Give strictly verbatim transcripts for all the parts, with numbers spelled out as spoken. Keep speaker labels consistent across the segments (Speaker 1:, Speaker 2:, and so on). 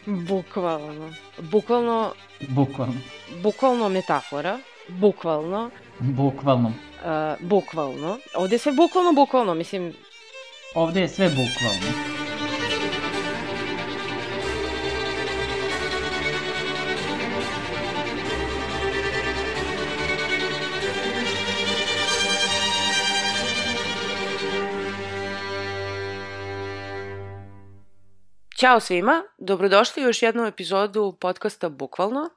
Speaker 1: Bukvalno. Bukvalno...
Speaker 2: Bukvalno.
Speaker 1: Bukvalno metafora. Bukvalno.
Speaker 2: Bukvalno.
Speaker 1: Uh, bukvalno. Ovde je sve bukvalno, bukvalno, mislim...
Speaker 2: Ovde je sve bukvalno.
Speaker 1: Ćao svima, dobrodošli u još jednu epizodu podcasta Bukvalno.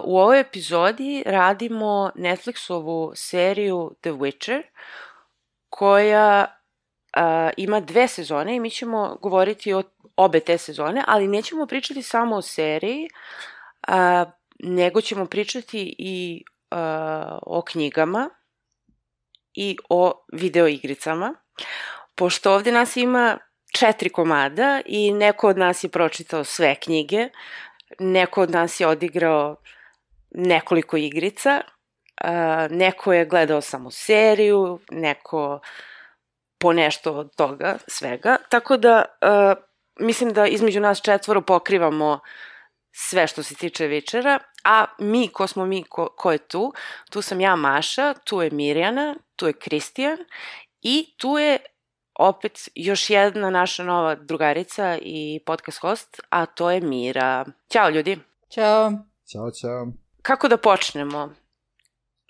Speaker 1: U ovoj epizodi radimo Netflixovu seriju The Witcher, koja ima dve sezone i mi ćemo govoriti o obe te sezone, ali nećemo pričati samo o seriji, nego ćemo pričati i o knjigama i o videoigricama, pošto ovde nas ima četiri komada i neko od nas je pročitao sve knjige, neko od nas je odigrao nekoliko igrica, neko je gledao samo seriju, neko po nešto od toga, svega. Tako da mislim da između nas četvoro pokrivamo sve što se tiče Witchera, a mi, ko smo mi, ko, ko je tu? Tu sam ja, Maša, tu je Mirjana, tu je Kristijan i tu je opet još jedna naša nova drugarica i podcast host, a to je Mira. Ćao ljudi.
Speaker 3: Ćao.
Speaker 4: Ćao, ćao.
Speaker 1: Kako da počnemo?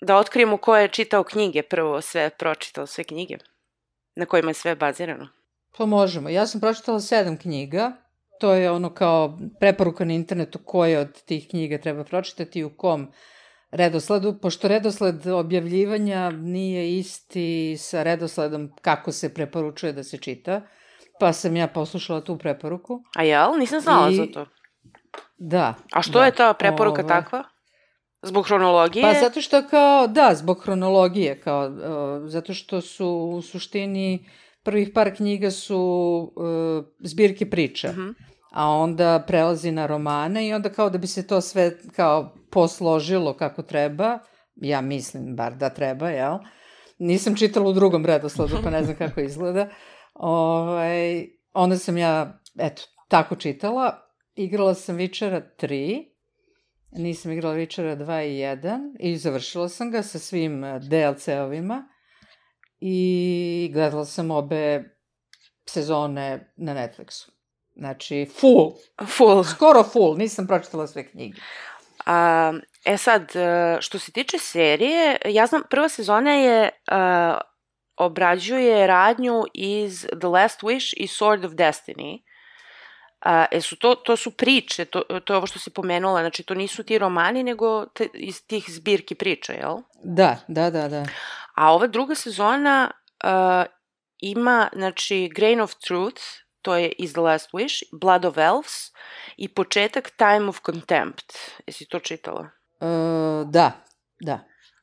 Speaker 1: Da otkrijemo ko je čitao knjige, prvo sve pročitao, sve knjige, na kojima je sve bazirano.
Speaker 3: Pa možemo. Ja sam pročitala sedam knjiga. To je ono kao preporuka na internetu koje od tih knjiga treba pročitati i u kom redosledu, pošto redosled objavljivanja nije isti sa redosledom kako se preporučuje da se čita, pa sam ja poslušala tu preporuku.
Speaker 1: A jel? Nisam znala I... za to.
Speaker 3: Da.
Speaker 1: A što
Speaker 3: da.
Speaker 1: je ta preporuka
Speaker 3: Ove...
Speaker 1: takva? Zbog hronologije?
Speaker 3: Pa zato što kao, da, zbog hronologije, kao, uh, zato što su u suštini prvih par knjiga su uh, zbirke priča. Uh-huh. A onda prelazi na romane i onda kao da bi se to sve kao posložilo kako treba, ja mislim bar da treba, jel? Nisam čitala u drugom redosledu, pa ne znam kako izgleda. Ovaj, onda sam ja, eto, tako čitala. Igrala sam Witchera tri, nisam igrala Witchera dva i jedan i završila sam ga sa svim D L C-ovima i gledala sam obe sezone na Netflixu. Znači, full.
Speaker 1: Full.
Speaker 3: Skoro full, nisam pročitala sve knjige.
Speaker 1: A, e sad, što se tiče serije, ja znam, prva sezona je, uh, obrađuje radnju iz The Last Wish i Sword of Destiny. Uh, e su to, to su priče, to, to je ovo što si pomenula, znači to nisu ti romani, nego te, iz tih zbirki priča, jel?
Speaker 3: Da, da, da, da.
Speaker 1: A ova druga sezona uh, ima, znači, Grain of Truth, to je iz The Last Wish, Blood of Elves i početak Time of Contempt. Jesi to čitala?
Speaker 3: Uh, da, da.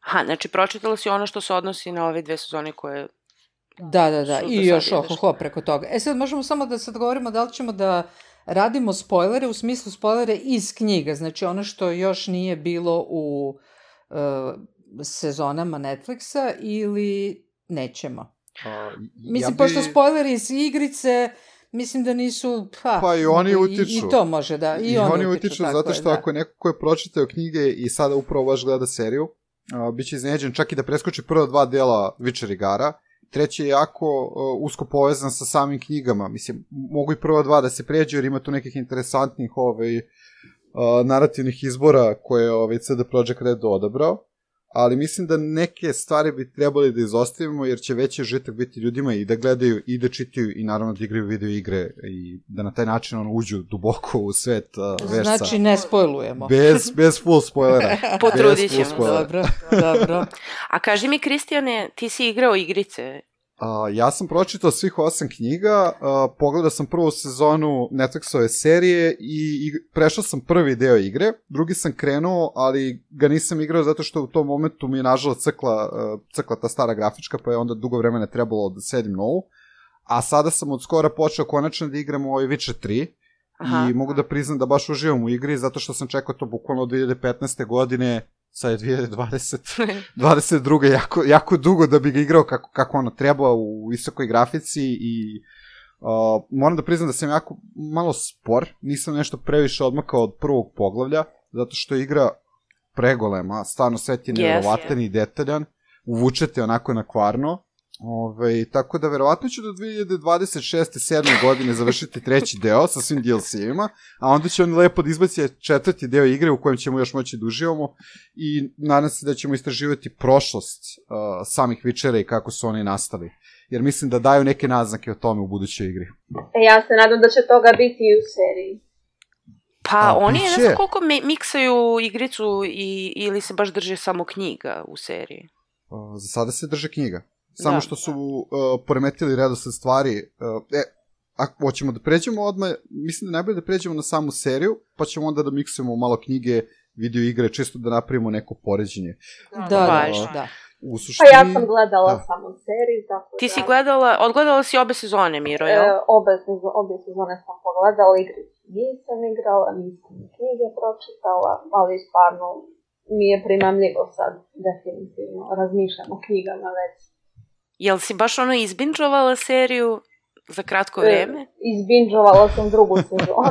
Speaker 1: Aha, znači pročitala si ono što se odnosi na ove dve sezone koje...
Speaker 3: Da, da, da, i još ohoho preko toga. E sad možemo samo da sad govorimo da li ćemo da radimo spoilere, u smislu spoilere iz knjiga, znači ono što još nije bilo u uh, sezonama Netflixa ili nećemo. A, Mislim, ja bi... pošto spoileri iz igrice... Mislim da nisu... Pa,
Speaker 4: pa i oni utiču.
Speaker 3: I, i to može, da. I,
Speaker 4: I
Speaker 3: oni,
Speaker 4: oni utiču, utiču zato što je, ako je neko ko je pročitao knjige i sada upravo baš gleda seriju, a, bit će iznenađen čak i da preskoči prva dva dela Witcher igara. Treći je jako a, usko povezan sa samim knjigama. Mislim, mogu i prva dva da se pređu jer ima tu nekih interesantnih ovaj, a, narativnih izbora koje ovaj, C D Projekt Red odabrao. Ali mislim da neke stvari bi trebali da izostavimo, jer će veći užitak biti ljudima i da gledaju i da čitaju i naravno da igraju video igre i da na taj način ono uđu duboko u svet uh, versa.
Speaker 3: Znači ne spojlujemo.
Speaker 4: Bez, bez full spoilera.
Speaker 1: Potrudit ćemo. Dobro, dobro. A kaži mi, Kristijane, ti si igrao igrice?
Speaker 4: Uh, ja sam pročitao svih osam knjiga, uh, pogledao sam prvu sezonu Netflixove serije i, i prešao sam prvi deo igre, drugi sam krenuo, ali ga nisam igrao zato što u tom momentu mi je nažalost crkla, uh, crkla ta stara grafička, pa je onda dugo vremena trebalo da sedim novu, a sada sam od skora počeo konačno da igram ovaj Witcher tri. Aha. I mogu da priznam da baš uživam u igri zato što sam čekao to bukvalno od dve hiljade petnaeste. godine, sad je dve hiljade dvadesete. dvadeset druge jako, jako dugo da bi ga igrao kako, kako ono treba u visokoj grafici i Uh, moram da priznam da sam jako malo spor, nisam nešto previše odmakao od prvog poglavlja, zato što je igra pregolema, stvarno svet je nevjerovatan yes, i detaljan, uvučete onako na kvarno, ove, tako da verovatno ću do dve dvadeset šeste sedme godine završiti treći deo sa svim D L C-ima, a onda će oni lepo da izbaci četvrti deo igre u kojem ćemo još moći da uživamo i nadam se da ćemo istraživati prošlost uh, samih Witchera i kako su oni nastali. Jer mislim da daju neke naznake o tome u budućoj igri.
Speaker 5: E, ja se nadam da će toga biti i u seriji.
Speaker 1: Pa
Speaker 4: A,
Speaker 1: oni
Speaker 4: biće.
Speaker 1: ne znam koliko me, miksaju igricu i, ili se baš drže samo knjiga u seriji.
Speaker 4: Uh, za sada se drže knjiga. Samo
Speaker 1: da,
Speaker 4: što su uh, poremetili redosled stvari. Uh, e, ako hoćemo da pređemo odmah, mislim da najbolje da pređemo na samu seriju, pa ćemo onda da miksujemo malo knjige, video igre, čisto da napravimo neko poređenje.
Speaker 3: Da, da,
Speaker 4: uh,
Speaker 3: da.
Speaker 4: U suštini,
Speaker 5: pa ja sam gledala
Speaker 4: da.
Speaker 5: samo seriju, tako
Speaker 1: Ti
Speaker 5: da...
Speaker 1: si gledala, odgledala si obe sezone, Miro, jel?
Speaker 5: E, obe, obe sezone sam pogledala, igricu nisam igrala, nisam knjige pročitala, ali stvarno mi je primamljivo sad, definitivno, razmišljam o knjigama već.
Speaker 1: Jel si baš ono izbinđovala seriju za kratko vreme?
Speaker 5: E, izbinđovala sam drugu sezonu.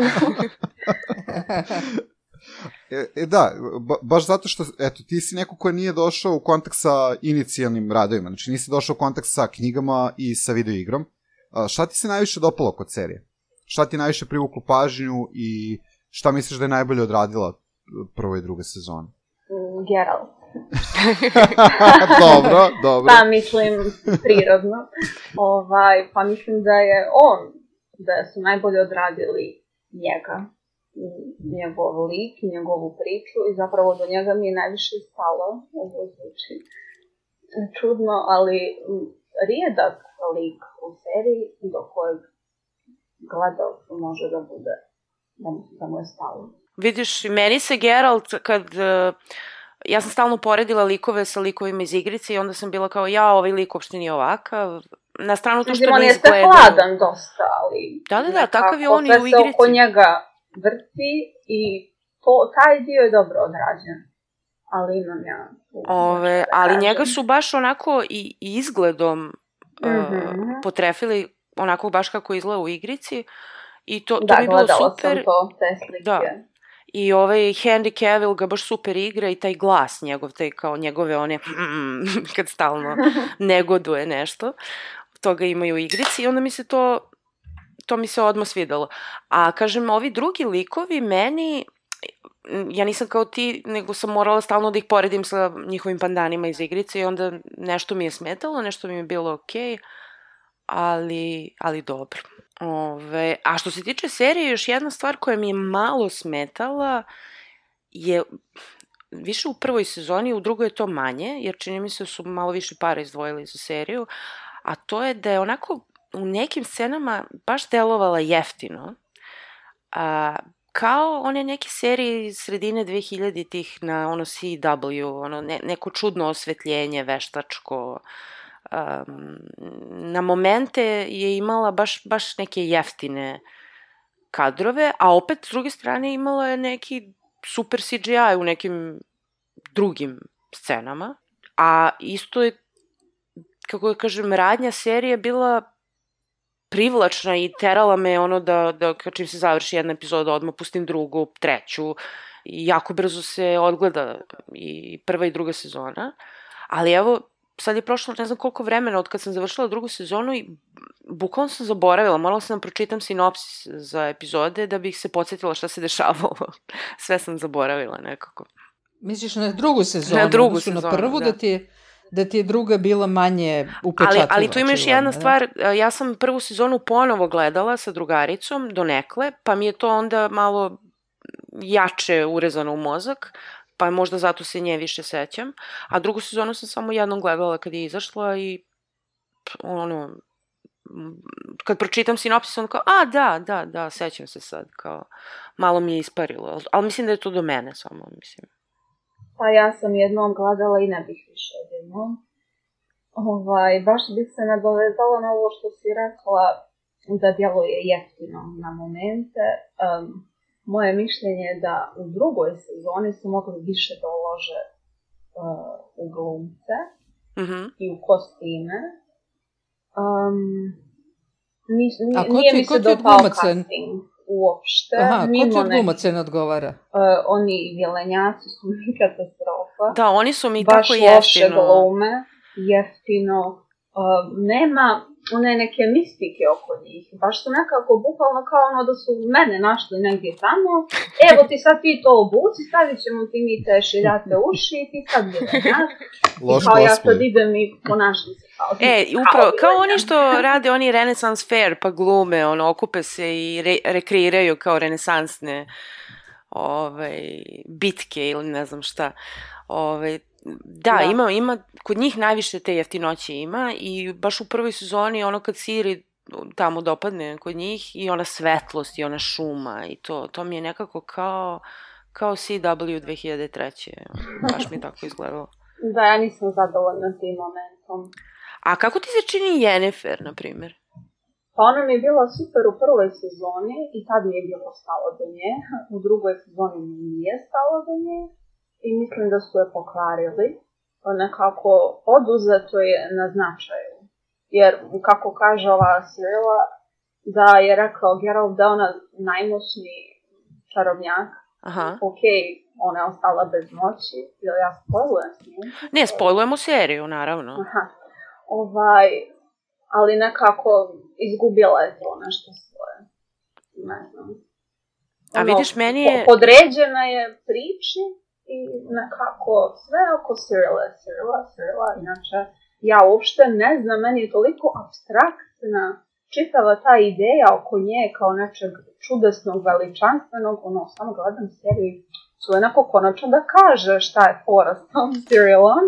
Speaker 4: E, e da, ba, baš zato što, eto, ti si neko ko nije došao u kontakt sa inicijalnim radovima, znači nisi došao u kontakt sa knjigama i sa video igrom. A, šta ti se najviše dopalo kod serije? Šta ti najviše privuklo pažnju i šta misliš da je najbolje odradila prva i druga sezona?
Speaker 5: Mm, Geralt.
Speaker 4: Dobro, dobro.
Speaker 5: Pa mislim, prirodno. Ovaj, pa mislim da je on, da su najbolje odradili njega. Njegov lik, njegovu priču i zapravo do njega mi je najviše stalo. Ovo zvuči čudno, ali rijedak lik u seriji do kojeg gledalcu može da bude, da mu, da mu je stalo.
Speaker 1: Vidiš, meni se Geralt, kad... Uh, ja sam stalno poredila likove sa likovima iz igrice i onda sam bila kao, ja, ovaj lik uopšte nije ovakav. Na stranu to što ne izgleda...
Speaker 5: On jeste hladan dosta, ali...
Speaker 1: Da, da, da, takav je on i u igrici.
Speaker 5: Sve se oko njega vrti i to, taj dio je dobro odrađen. Ali imam ja...
Speaker 1: Ove, ali njega su baš onako i, i izgledom
Speaker 5: mm-hmm.
Speaker 1: uh, potrefili onako baš kako izgleda u igrici. I to, to
Speaker 5: da,
Speaker 1: bi bilo super.
Speaker 5: Da, gledala sam to, te slike.
Speaker 1: Da. I ovaj Henry Cavill ga baš super igra i taj glas njegov, taj kao njegove one kad stalno negoduje nešto. Toga imaju u igrici i onda mi se to, to mi se odmah svidalo. A kažem, ovi drugi likovi meni, ja nisam kao ti, nego sam morala stalno da ih poredim sa njihovim pandanima iz igrice i onda nešto mi je smetalo, nešto mi je bilo okej, ali, ali dobro. Ove, a što se tiče serije, još jedna stvar koja mi je malo smetala je više u prvoj sezoni, u drugoj je to manje, jer čini mi se da su malo više para izdvojili za seriju, a to je da je onako u nekim scenama baš delovala jeftino, a, kao one neke serije iz sredine dve hiljaditih na ono C W, ono ne, neko čudno osvetljenje, veštačko. Um, na momente je imala baš, baš neke jeftine kadrove, a opet s druge strane imala je neki super C G I u nekim drugim scenama, a isto je, kako da kažem, radnja serije bila privlačna i terala me ono da, da čim se završi jedna epizoda odmah pustim drugu, treću i jako brzo se odgleda i prva i druga sezona, ali evo sad je prošlo ne znam koliko vremena od kad sam završila drugu sezonu i bukvalno sam zaboravila, morala sam da pročitam sinopsis za epizode da bih se podsjetila šta se dešavalo. Sve sam zaboravila nekako.
Speaker 3: Misliš na drugu sezonu?
Speaker 1: Na drugu sezonu,
Speaker 3: na prvu,
Speaker 1: da.
Speaker 3: Da ti je, da ti je druga bila manje upečatljiva.
Speaker 1: Ali, ali tu ima još jedna
Speaker 3: da?
Speaker 1: stvar, ja sam prvu sezonu ponovo gledala sa drugaricom donekle, pa mi je to onda malo jače urezano u mozak, pa možda zato se nje više sećam. A drugu sezonu sam samo jednom gledala kad je izašla i ono, kad pročitam sinopsis, onda kao, a da, da, da, sećam se sad, kao, malo mi je isparilo, ali mislim da je to do mene samo, mislim.
Speaker 5: Pa ja sam jednom gledala i ne bih više jednom. Ovaj, baš bih se nadovezala na ovo što si rekla, da djeluje jeftino na momente. Um, Moje mišljenje je da u drugoj sezoni su mogli više da ulože uh, u glumce
Speaker 1: mm-hmm.
Speaker 5: i u kostime. Um, Ni, ni,
Speaker 3: A ko
Speaker 5: nije
Speaker 3: ti,
Speaker 5: mi
Speaker 3: ko
Speaker 5: se
Speaker 3: ti od
Speaker 5: dopao
Speaker 3: glumaca?
Speaker 5: casting uopšte.
Speaker 3: Aha, ko ti
Speaker 5: mimo
Speaker 3: od
Speaker 5: ne-
Speaker 3: glumaca ne odgovara?
Speaker 5: Uh, oni vilenjaci su mi katastrofa.
Speaker 1: Da, oni su mi
Speaker 5: Baš
Speaker 1: tako
Speaker 5: loše
Speaker 1: jeftino.
Speaker 5: glume, jeftino. Uh, nema one neke mistike oko njih. Baš su nekako bukvalno kao ono da su mene našli negdje tamo. Evo ti sad ti to obuci, stavit ćemo ti mi te šiljate uši i ti sad vilenjac. I
Speaker 4: Loš
Speaker 5: kao ja
Speaker 4: cosplay.
Speaker 5: sad idem i ponašam se kao ti.
Speaker 1: E, upravo, kao oni što rade oni Renaissance Fair, pa glume, ono, okupe se i re, rekreiraju kao renesansne ovaj, bitke ili ne znam šta. Ovaj, da,
Speaker 5: Da.
Speaker 1: ima, ima, kod njih najviše te jeftinoće ima i baš u prvoj sezoni ono kad Siri tamo dopadne kod njih i ona svetlost i ona šuma i to, to mi je nekako kao, kao C W dve hiljade treće. Baš mi je tako izgledalo.
Speaker 5: Da, ja nisam zadovoljna tim momentom.
Speaker 1: A kako ti se čini Yennefer, na primjer?
Speaker 5: Pa ona mi je bila super u prvoj sezoni i tad mi je bilo stalo do nje. U drugoj sezoni mi nije stalo do nje i mislim da su je pokvarili. Nekako oduzeto je na značaju. Jer, kako kaže ova Cyrilla, da je rekao Geralt da je ona najmoćniji čarobnjak.
Speaker 1: Aha.
Speaker 5: Ok, ona je ostala bez moći. Ili ja spojlujem s njim?
Speaker 1: Ne, spojlujemo seriju, naravno.
Speaker 5: Aha. Ovaj, ali nekako izgubila je to nešto svoje. Ne znam.
Speaker 1: A vidiš, meni je...
Speaker 5: po- Podređena je priči i nekako sve oko Cyrilla, Cyrilla, Cyrilla. Inače, ja uopšte ne znam, meni je toliko apstraktna čitava ta ideja oko nje kao nečeg čudesnog, veličanstvenog, ono, samo gledam seriju su onako konačno da kaže šta je fora s tom Cyrillom.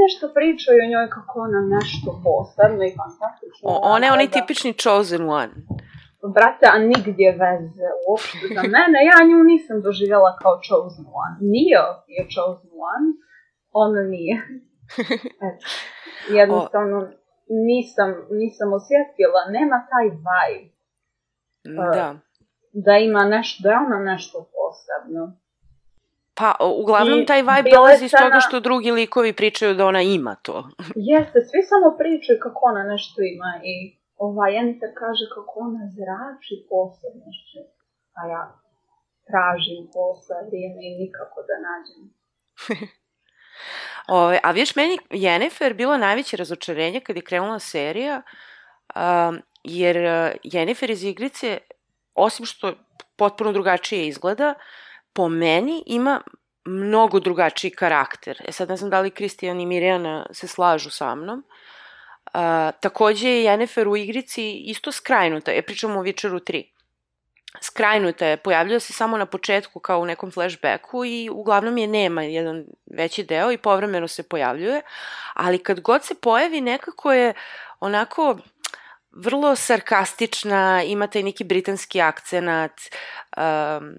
Speaker 5: Nešto pričaju o njoj kako ona nešto posebno i fantastično.
Speaker 1: O, ona je onaj tipični chosen one.
Speaker 5: Brate, a nigdje veze uopšte za mene. Ja nju nisam doživjela kao chosen one. Nio je chosen one, ona nije. Eto, jednostavno nisam, nisam osjetila, nema taj vibe.
Speaker 1: Da.
Speaker 5: Da ima nešto, da je ona nešto posebno.
Speaker 1: Pa, uglavnom,
Speaker 5: I
Speaker 1: taj vibe
Speaker 5: bila
Speaker 1: dolazi iz
Speaker 5: scena-
Speaker 1: toga što drugi likovi pričaju da ona ima to.
Speaker 5: Jeste, svi samo pričaju kako ona nešto ima i ova Yennefer kaže kako ona zrači posebnošću, a ja tražim posle vrijeme i nikako da nađem.
Speaker 1: Ove, a viš, meni Yennefer bilo najveće razočarenje kad je krenula serija, um, jer Yennefer iz igrice, osim što potpuno drugačije izgleda, po meni ima mnogo drugačiji karakter. E sad ne znam da li Kristijan i Mirjana se slažu sa mnom. Uh, takođe je Yennefer u igrici isto skrajnuta, je pričamo o Witcheru tri. Skrajnuta je, pojavljuje se samo na početku kao u nekom flashbacku i uglavnom je nema jedan veći deo i povremeno se pojavljuje, ali kad god se pojavi nekako je onako vrlo sarkastična, ima taj neki britanski akcenat, um,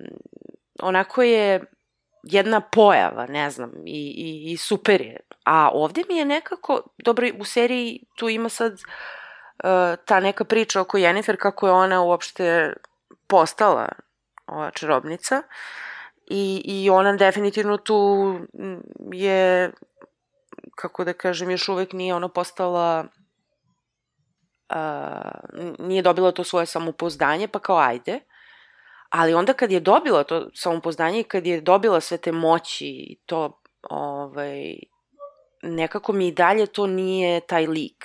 Speaker 1: onako je jedna pojava, ne znam, i, i, i super je. A ovde mi je nekako, dobro, u seriji tu ima sad uh, ta neka priča oko Yennefer, kako je ona uopšte postala ova čarobnica i, i ona definitivno tu je, kako da kažem, još uvek nije ona postala, uh, nije dobila to svoje samopouzdanje, pa kao ajde. Ali onda kad je dobila to samopouzdanje i kad je dobila sve te moći i to, ovaj, nekako mi i dalje to nije taj lik.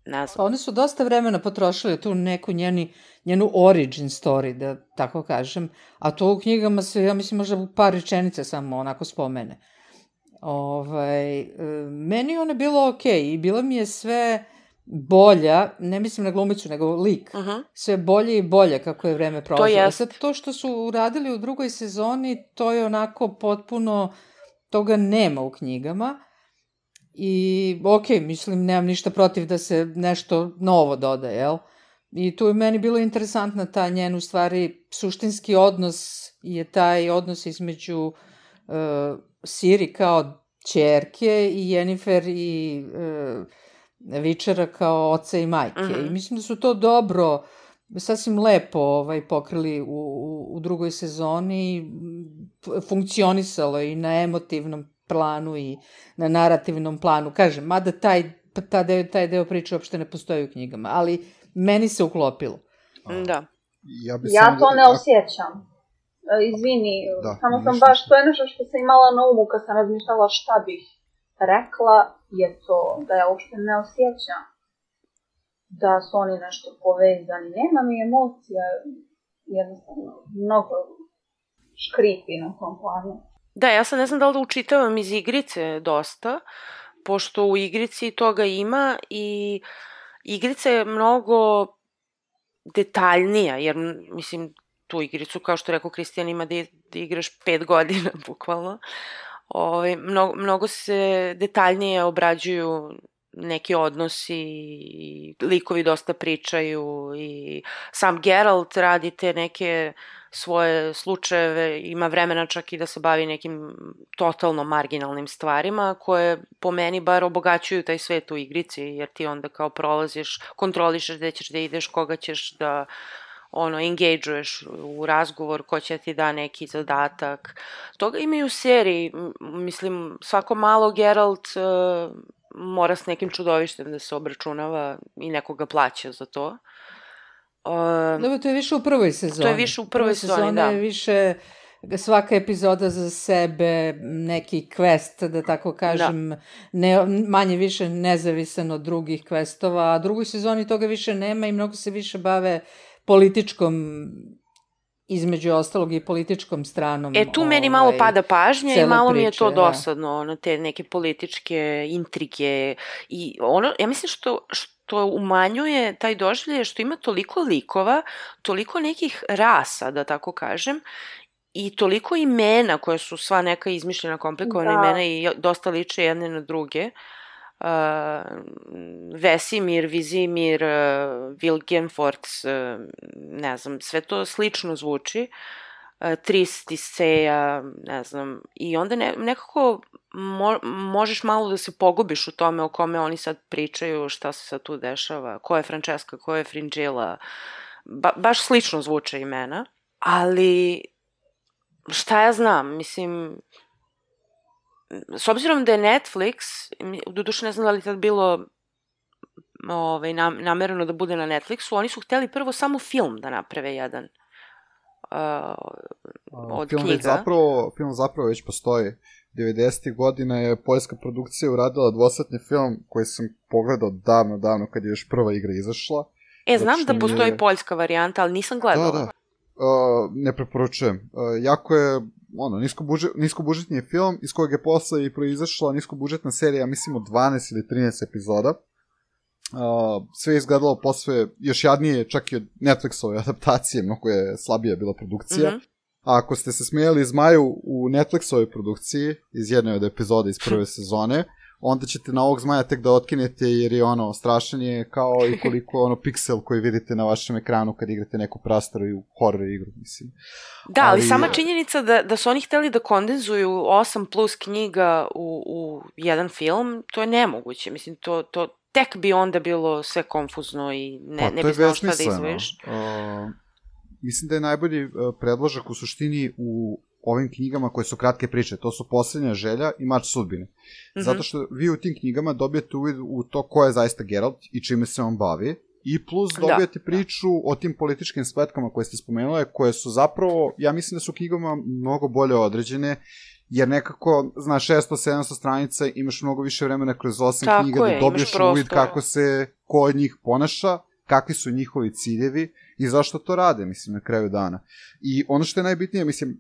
Speaker 1: Ne znam.
Speaker 3: Pa oni su dosta vremena potrošili tu neku njeni, njenu origin story, da tako kažem, a to u knjigama se, ja mislim, možda u par rečenice samo onako spomene. Ovaj, meni je ona bilo okej i bila mi je sve bolja, ne mislim na glumicu, nego lik,
Speaker 1: Uh-huh.
Speaker 3: sve bolje i bolje kako je vreme prolazilo.
Speaker 1: To jest.
Speaker 3: Sad, to što su uradili u drugoj sezoni, to je onako potpuno, toga nema u knjigama. I, ok, mislim, nemam ništa protiv da se nešto novo doda, jel? I tu je meni bilo interesantna ta njen, u stvari, suštinski odnos je taj odnos između uh, Ciri kao ćerke i Yennefer i uh, Witchera kao oca i majke.
Speaker 1: Mhm.
Speaker 3: I mislim da su to dobro, sasvim lepo ovaj, pokrili u, u, u drugoj sezoni, f- funkcionisalo i na emotivnom planu i na narativnom planu. Kažem, mada taj, ta deo, taj deo priče uopšte ne postoji u knjigama, ali meni se uklopilo.
Speaker 1: Da.
Speaker 4: Ja, bi
Speaker 5: ja to
Speaker 4: da...
Speaker 5: ne osjećam. Izvini,
Speaker 4: da,
Speaker 5: samo sam
Speaker 4: ništa.
Speaker 5: baš, to je nešto što sam imala na umu kad sam razmišljala šta bih rekla, je to da ja uopšte ne osjećam da su oni nešto povezani. Nema mi emocija, jednostavno, mnogo škripi na tom planu.
Speaker 1: Da, ja sad ne znam da li da učitavam iz igrice dosta, pošto u igrici toga ima i igrica je mnogo detaljnija, jer, mislim, tu igricu, kao što rekao Kristijan, ima da, da igraš pet godina, bukvalno. Ove, mnogo, mnogo se detaljnije obrađuju neki odnosi i likovi dosta pričaju i sam Geralt radi te neke svoje slučajeve, ima vremena čak i da se bavi nekim totalno marginalnim stvarima koje po meni bar obogaćuju taj svet u igrici, jer ti onda kao prolaziš, kontrolišeš gde ćeš da ideš, koga ćeš da ono, engage-uješ u razgovor, ko će ti da neki zadatak. Toga ima i u seriji, mislim, svako malo Geralt uh, mora s nekim čudovištem da se obračunava i nekoga plaća za to. Uh,
Speaker 3: Dobro, to je više u prvoj sezoni.
Speaker 1: To je više u prvoj sezoni,
Speaker 3: sezoni,
Speaker 1: da.
Speaker 3: Je više svaka epizoda za sebe, neki quest, da tako kažem, da. Ne, manje više nezavisan od drugih questova, a drugoj sezoni toga više nema i mnogo se više bave političkom, između ostalog i političkom stranom.
Speaker 1: E, tu ovaj, meni malo pada pažnja i malo priče, mi je to dosadno, da. Ono, te neke političke intrige i ono, ja mislim što, što umanjuje taj doživljaj što ima toliko likova, toliko nekih rasa, da tako kažem, i toliko imena koje su sva neka izmišljena, komplikovana da. Imena i dosta liče jedne na druge. Uh, Vesimir, Vizimir, uh, Vilgefortz, uh, ne znam, sve to slično zvuči. Uh, Trist, Tiseja, ne znam, i onda ne, nekako mo, možeš malo da se pogubiš u tome o kome oni sad pričaju, šta se sad tu dešava, ko je Francesca, ko je Fringilla, ba, baš slično zvuče imena, ali šta ja znam, mislim, s obzirom da je Netflix, doduše ne znam da li tad bilo ovaj, namereno da bude na Netflixu, oni su hteli prvo samo film da naprave jedan uh, od
Speaker 4: film
Speaker 1: knjiga.
Speaker 4: Zapravo, film zapravo već postoji. devedesetih godina je poljska produkcija uradila dvosatni film koji sam pogledao davno, davno kad je još prva igra izašla.
Speaker 1: E, znam da postoji je... poljska varijanta, ali nisam gledala.
Speaker 4: Da, da. Uh, ne preporučujem. Uh, jako je ono, niskobužet, niskobužetni je film iz kojeg je posle i proizašla niskobužetna serija, mislim od dvanaest ili trinaest epizoda. Uh, sve je izgledalo posve još jadnije, čak i od Netflixove adaptacije, mnogo je slabija bila produkcija. Mm-hmm. A ako ste se smijeli Zmaju u Netflixovoj produkciji iz jedne od epizoda iz prve sezone, onda ćete na ovog Zmaja tek da otkinete, jer je ono strašan je kao i koliko ono piksel koji vidite na vašem ekranu kad igrate neku prastaru i horror igru, mislim.
Speaker 1: Da, ali, ali sama činjenica da, da su oni hteli da kondenzuju osam plus knjiga u, u jedan film, to je nemoguće, mislim, to, to tek bi onda bilo sve konfuzno i ne, pa, ne bi znao šta da izvojiš.
Speaker 4: Uh, mislim da je najbolji uh, predložak u suštini u ovim knjigama koje su kratke priče, to su Posljednja želja i Mač sudbine. Mm-hmm. Zato što vi u tim knjigama dobijete uvid u to ko je zaista Geralt i čime se on bavi, i plus dobijete da, priču da. O tim političkim spletkama koje ste spomenule, koje su zapravo, ja mislim da su knjigama mnogo bolje određene, jer nekako, znaš, šesto sedamsto stranica, imaš mnogo više vremena kroz osam Tako knjiga je, da dobiješ uvid kako se ko od njih ponaša, kakvi su njihovi ciljevi i zašto to rade, mislim, na kraju dana. I ono što je najbitnije, mislim,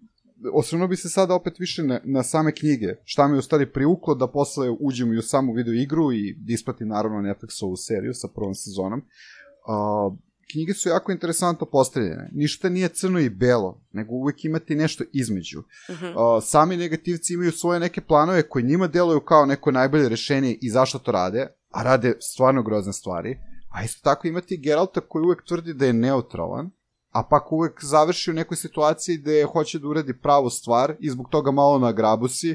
Speaker 4: osvrnuo bi se sada opet više na, na same knjige, šta mi je u stvari priuklo da posle uđemo i u samu video igru i ispratim naravno Netflixovu seriju sa prvom sezonom. Uh, knjige su jako interesantno postavljene, ništa nije crno i belo, nego uvijek imate nešto između. Uh-huh. Uh, sami negativci imaju svoje neke planove koji njima deluju kao neko najbolje rešenje i zašto to rade, a rade stvarno grozne stvari, a isto tako imate Geralta koji uvijek tvrdi da je neutralan, a pak uvek završi u nekoj situaciji gde hoće da uradi pravu stvar i zbog toga malo nagrabusi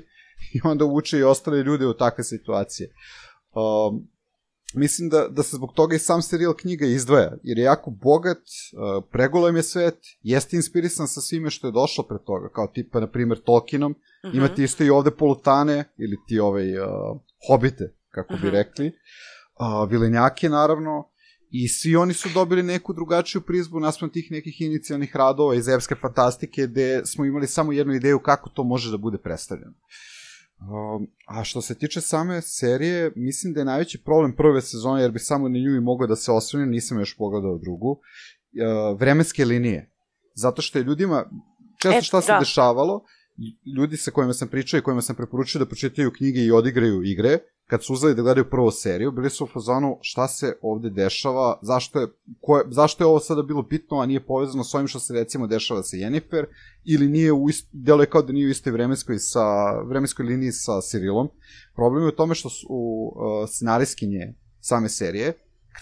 Speaker 4: i onda uče i ostale ljude u takve situacije. Um, mislim da, da se zbog toga i sam serijal knjiga izdvaja, jer je jako bogat, uh, pregolem je svet, jeste inspirisan sa svime što je došlo pre toga, kao tipa, na primjer, Tolkienom, mm-hmm. imate isto i ovde polutane, ili ti ovaj, uh, hobite, kako bi mm-hmm. rekli, uh, vilenjake, naravno, I svi oni su dobili neku drugačiju prizmu naspram tih nekih inicijalnih radova iz epske fantastike, gde smo imali samo jednu ideju kako to može da bude predstavljeno. Um, a što se tiče same serije, mislim da je najveći problem prve sezone, jer bi samo na nju i mogao da se osvrnem, nisam još pogledao drugu, uh, vremenske linije. Zato što je ljudima, često šta se dešavalo, ljudi sa kojima sam pričao i kojima sam preporučio da pročitaju knjige i odigraju igre, kad su uzeli da gledaju prvu seriju, bili su u fazonu šta se ovde dešava, zašto je, koje, zašto je ovo sada bilo bitno, a nije povezano s ovim što se recimo dešava sa Yennefer, ili nije u ist, delo je kao da nije u istoj vremenskoj, sa, vremenskoj liniji sa Cyrilom. Problem je u tome što su uh, scenarijskinje same serije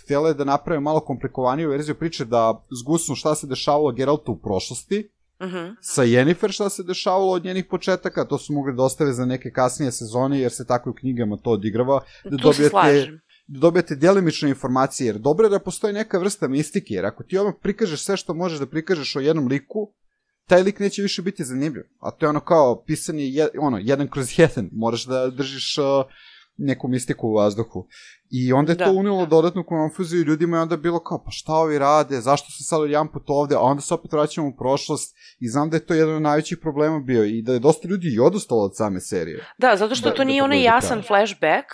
Speaker 4: htjela je da naprave malo komplikovaniju verziju priče, da zgusnu šta se dešavalo Geraltu u prošlosti, Uh-huh. sa Yennefer šta se dešavalo od njenih početaka, to su mogli da ostave za neke kasnije sezone, jer se tako u knjigama to odigrava, da dobijete, da dobijete djelimične informacije, jer dobro je da postoji neka vrsta mistike, jer ako ti odmah prikažeš sve što možeš da prikažeš o jednom liku, taj lik neće više biti zanimljiv, a to je ono kao pisanje je, ono, jedan kroz jedan, moraš da držiš uh, neku mistiku u vazduhu. I onda je da, to unilo da. dodatnu konfuziju ljudima i onda je bilo kao, pa šta ovi rade, zašto se sad jedan put ovde, a onda se opet vraćamo u prošlost i znam da je to jedan od najvećih problema bio i da je dosta ljudi i odustalo od same serije.
Speaker 1: Da, zato što da, to nije da onaj jasan flashback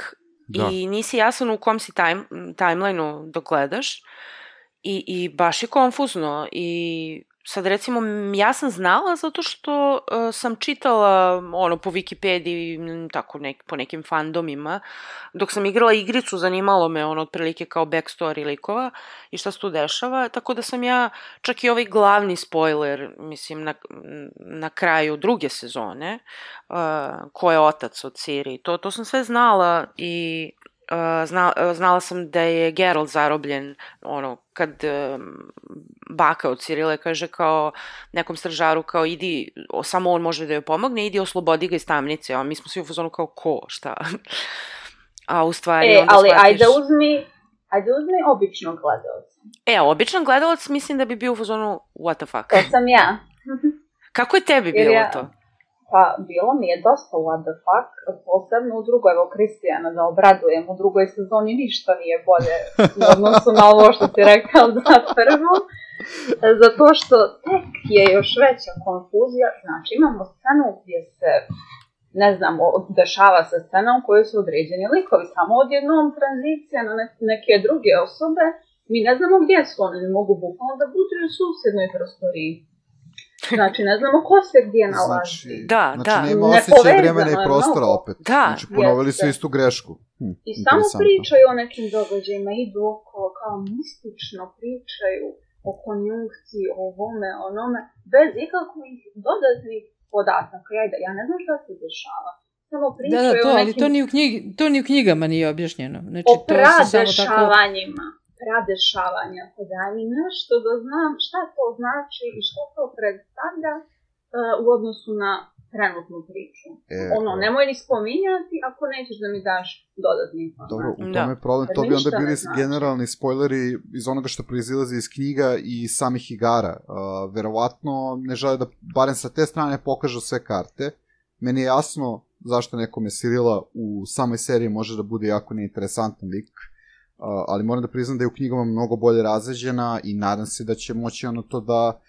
Speaker 1: da. I nisi jasan u kom si time, timeline-u dok gledaš i, i baš je konfuzno i sad recimo ja sam znala zato što uh, sam čitala ono po Wikipediji tako nek, po nekim fandomima dok sam igrala igricu zanimalo me ono otprilike kao backstory likova i šta se tu dešava, tako da sam ja čak i ovaj glavni spoiler mislim na, na kraju druge sezone uh, ko je otac od Ciri, to, to sam sve znala i Uh, zna, uh, znala sam da je Geralt zarobljen ono, kad uh, baka od Cirile kaže kao nekom stražaru kao idi, o, samo on može da joj pomogne, idi oslobodi ga iz tamnice, a mi smo svi u fazonu kao ko, šta? A u stvari
Speaker 5: e,
Speaker 1: onda
Speaker 5: ali
Speaker 1: shvatiš...
Speaker 5: ajde uzmi, ajde uzmi običnog gledalca.
Speaker 1: E, običan gledalac mislim da bi bio u fazonu what the fuck.
Speaker 5: To sam ja.
Speaker 1: Kako je tebi bilo ja... to?
Speaker 5: Pa, bilo mi je dosta what the fuck, posebno u drugoj, evo Kristijana da obradujem, u drugoj sezoni ništa nije bolje u odnosu na ovo što si rekao za prvu, zato što tek je još veća konfuzija, znači imamo scenu gdje se, ne znam, dešava se scena u kojoj su određeni likovi, samo odjednom tranzicija na neke druge osobe, mi ne znamo gdje su, oni ne mogu bukvalno da budu u susjednoj prostoriji. Znači, ne znamo ko se gdje nalazi.
Speaker 4: Znači,
Speaker 1: da,
Speaker 4: znači
Speaker 1: da.
Speaker 4: nema osjećaj vremena i prostora opet.
Speaker 1: Da.
Speaker 4: Znači, ponovili su istu grešku. Hm,
Speaker 5: I samo pričaju o nekim događajima, idu okolo, kao mistično pričaju o konjunkciji, o ovome, onome, bez ikakvih dodatnih podataka. Ja, ja ne znam šta se dešava. Samo pričaju
Speaker 3: da, da, to,
Speaker 5: o nekim...
Speaker 3: ali to ni, u knjig, to ni u knjigama nije objašnjeno. Znači,
Speaker 5: o
Speaker 3: pradešavanjima.
Speaker 5: Tako... pradešavanja, pa daj mi nešto da znam šta to znači i što to predstavlja uh, u odnosu na trenutnu priču. E, ono, nemoj ni spominjati ako nećeš da mi daš dodatni informacije.
Speaker 4: Dobro, u tome je problem, to bi onda bili generalni spoileri iz onoga što proizilazi iz knjiga i samih igara. Uh, verovatno ne žele da barem sa te strane pokažu sve karte. Meni je jasno zašto nekome Cirila u samoj seriji može da bude jako neinteresantan lik, Uh, ali moram da priznam da je u knjigama mnogo bolje razređena i nadam se da će moći ono to da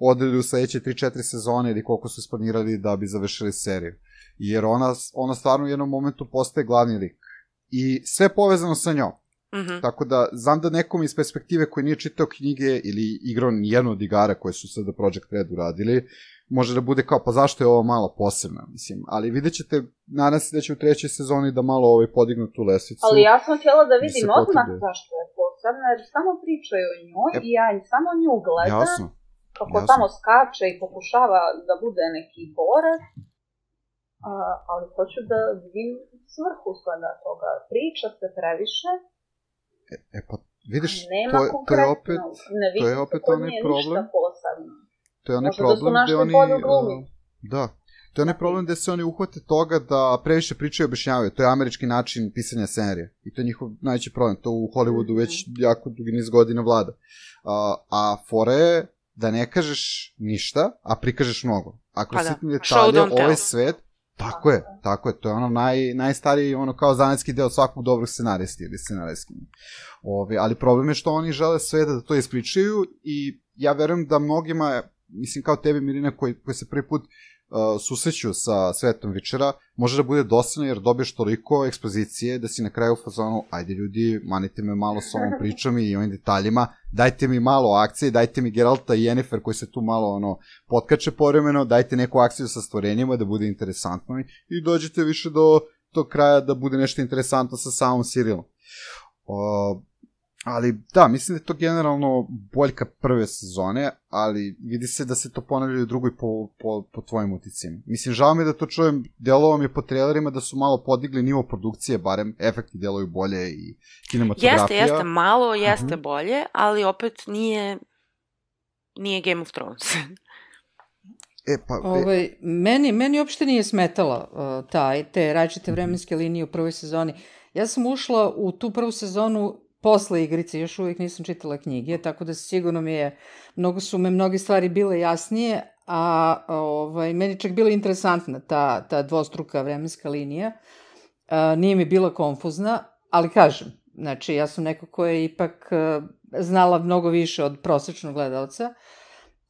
Speaker 4: odredi u sledeće tri četiri sezone ili koliko su isplanirali da bi završili seriju. Jer ona, ona stvarno u jednom momentu postaje glavni lik. I sve povezano sa njom. Mm-hmm. Tako da, znam da nekom iz perspektive koji nije čitao knjige ili igrao nijedno od igara koje su sada Project Red uradili, može da bude kao, pa zašto je ovo malo posebno, mislim. Ali vidjet ćete, nadam se da će u trećoj sezoni da malo ovaj podignu tu lestvicu.
Speaker 5: Ali ja sam htjela da vidim odmah zašto je posebno, jer samo pričaju o njoj e, i ja samo nju gledam.
Speaker 4: Jasno.
Speaker 5: Kako jasno. Tamo skače i pokušava da bude neki borac. A, ali hoću da vidim svrhu svega toga. Priča se previše.
Speaker 4: E, e pa, vidiš,
Speaker 5: nema
Speaker 4: to, je, to je opet,
Speaker 5: ne
Speaker 4: to je opet onaj problem.
Speaker 5: Ništa posebno.
Speaker 4: To je onaj problem gde oni... Uh, da, to je onaj problem gde se oni uhvate toga da previše pričaju i objašnjavaju. To je američki način pisanja scenarija. I to je njihov najveći problem. To u Hollywoodu već jako dugi niz godina vlada. Uh, a fora je da ne kažeš ništa, a prikažeš mnogo. Ako pa sitni da. detalje, ovaj svet, Tako je, tako je, to je ono naj, najstariji, ono kao zanetski deo svakog dobrog scenaristi ili scenarijski. Ove, ali problem je što oni žele sve da to ispričaju i ja verujem da mnogima, mislim kao tebi Mirina koji, koji se prvi put uh, susreću sa svetom Witchera, može da bude dosadno jer dobiješ toliko ekspozicije da si na kraju u fazonu, ajde ljudi, manite me malo s ovom pričom i ovim detaljima, dajte mi malo akcije, dajte mi Geralta i Yennefer koji se tu malo ono potkače povremeno, dajte neku akciju sa stvorenjima da bude interesantno i dođete više do tog kraja da bude nešto interesantno sa samom serijalom. Uh, ali da, mislim da je to generalno boljka prve sezone, ali vidi se da se to ponavlja u drugoj po, po, po tvojim uticima. Mislim, žao mi da to čujem, delovo mi je po trailerima da su malo podigli nivo produkcije, barem efekti deluju bolje i kinematografija.
Speaker 1: Jeste, jeste, malo jeste uh-huh. bolje, ali opet nije, nije Game of Thrones.
Speaker 4: E, pa, e...
Speaker 3: Ovaj, meni, meni uopšte nije smetala uh, taj, te različite vremenske linije u prvoj sezoni. Ja sam ušla u tu prvu sezonu posle igrice, još uvijek nisam čitala knjige, tako da sigurno mi je, mnogo su me mnoge stvari bile jasnije, a ovaj, meni čak bila interesantna ta, ta dvostruka vremenska linija. A, nije mi bila konfuzna, ali kažem, znači ja sam neko ko je ipak a, znala mnogo više od prosečnog gledalca,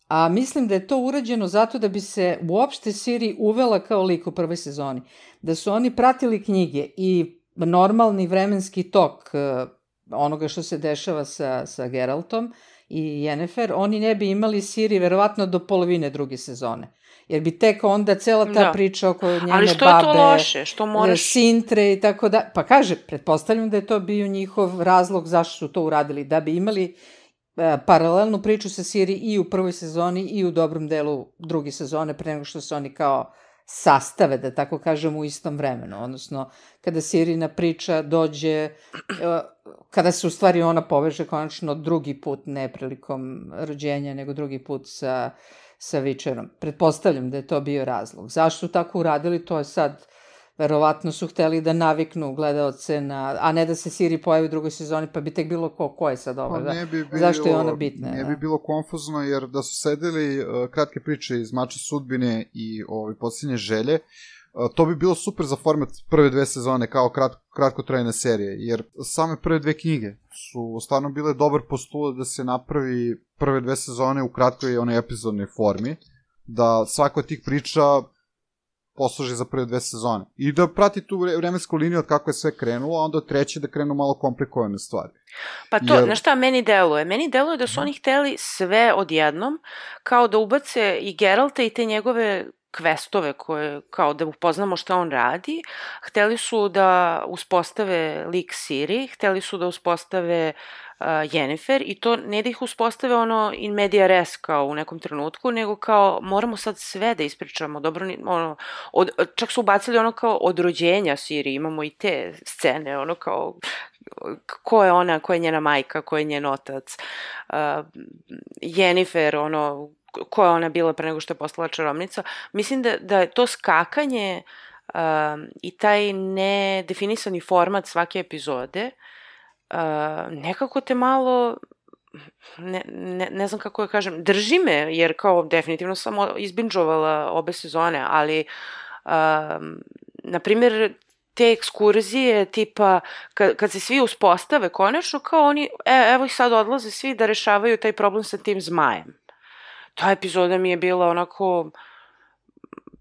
Speaker 3: a mislim da je to urađeno zato da bi se uopšte Ciri uvela kao lik u prvoj sezoni. Da su oni pratili knjige i normalni vremenski tok a, onoga što se dešava sa, sa Geraltom i Yennefer, oni ne bi imali Ciri verovatno do polovine druge sezone. Jer bi tek onda cela ta da. priča oko njene babe,
Speaker 1: ali što je to loše? Što moraš...
Speaker 3: Sintre i tako da... Pa kaže, pretpostavljam da je to bio njihov razlog zašto su to uradili, da bi imali e, paralelnu priču sa Ciri i u prvoj sezoni i u dobrom delu druge sezone, pre nego što se oni kao sastave, da tako kažem, u istom vremenu. Odnosno, kada Sirina priča dođe, kada se u stvari ona poveže konačno drugi put, ne prilikom rođenja, nego drugi put sa, sa Witcherom. Pretpostavljam da je to bio razlog. Zašto su tako uradili, to je sad, verovatno su hteli da naviknu gledaoce na, a ne da se Ciri pojavi u drugoj sezoni, pa bi tek bilo ko, ko je sad ovo,
Speaker 4: pa ne bi bilo,
Speaker 3: zašto je ona bitna?
Speaker 4: Ne
Speaker 3: da?
Speaker 4: bi bilo konfuzno, jer da su sedeli uh, kratke priče iz Mača sudbine i ovaj, posljednje želje, uh, to bi bilo super za format prve dve sezone, kao krat, kratkotrajne serije, jer same prve dve knjige su stvarno bile dobar postulat da se napravi prve dve sezone u kratkoj onoj epizodnoj formi, da svako od tih priča posluži za prve dve sezone. I da prati tu vremensku liniju od kako je sve krenulo, a onda od treće da krenu malo komplikovane stvari.
Speaker 1: Pa to, Jer... na šta meni deluje? Meni deluje da su oni hteli sve odjednom, kao da ubace i Geralta i te njegove questove koje, kao da upoznamo šta on radi. Hteli su da uspostave lik Ciri, hteli su da uspostave uh, Yennefer i to ne da ih uspostave ono in media res kao u nekom trenutku, nego kao moramo sad sve da ispričamo. Dobro, ono, od, čak su ubacili ono kao od rođenja Ciri, imamo i te scene, ono kao ko je ona, ko je njena majka, ko je njen otac. Uh, Yennefer, ono, koja ona bila pre nego što je postala čarobnica. Mislim da, da je to skakanje um, i taj nedefinisani format svake epizode uh, nekako te malo, ne, ne, ne znam kako da kažem, drži me, jer kao definitivno sam izbinđovala obe sezone, ali um, na primjer te ekskurzije tipa kad, kad se svi uspostave konačno kao oni, e, evo ih sad odlaze svi da rešavaju taj problem sa tim zmajem. Ta epizoda mi je bila onako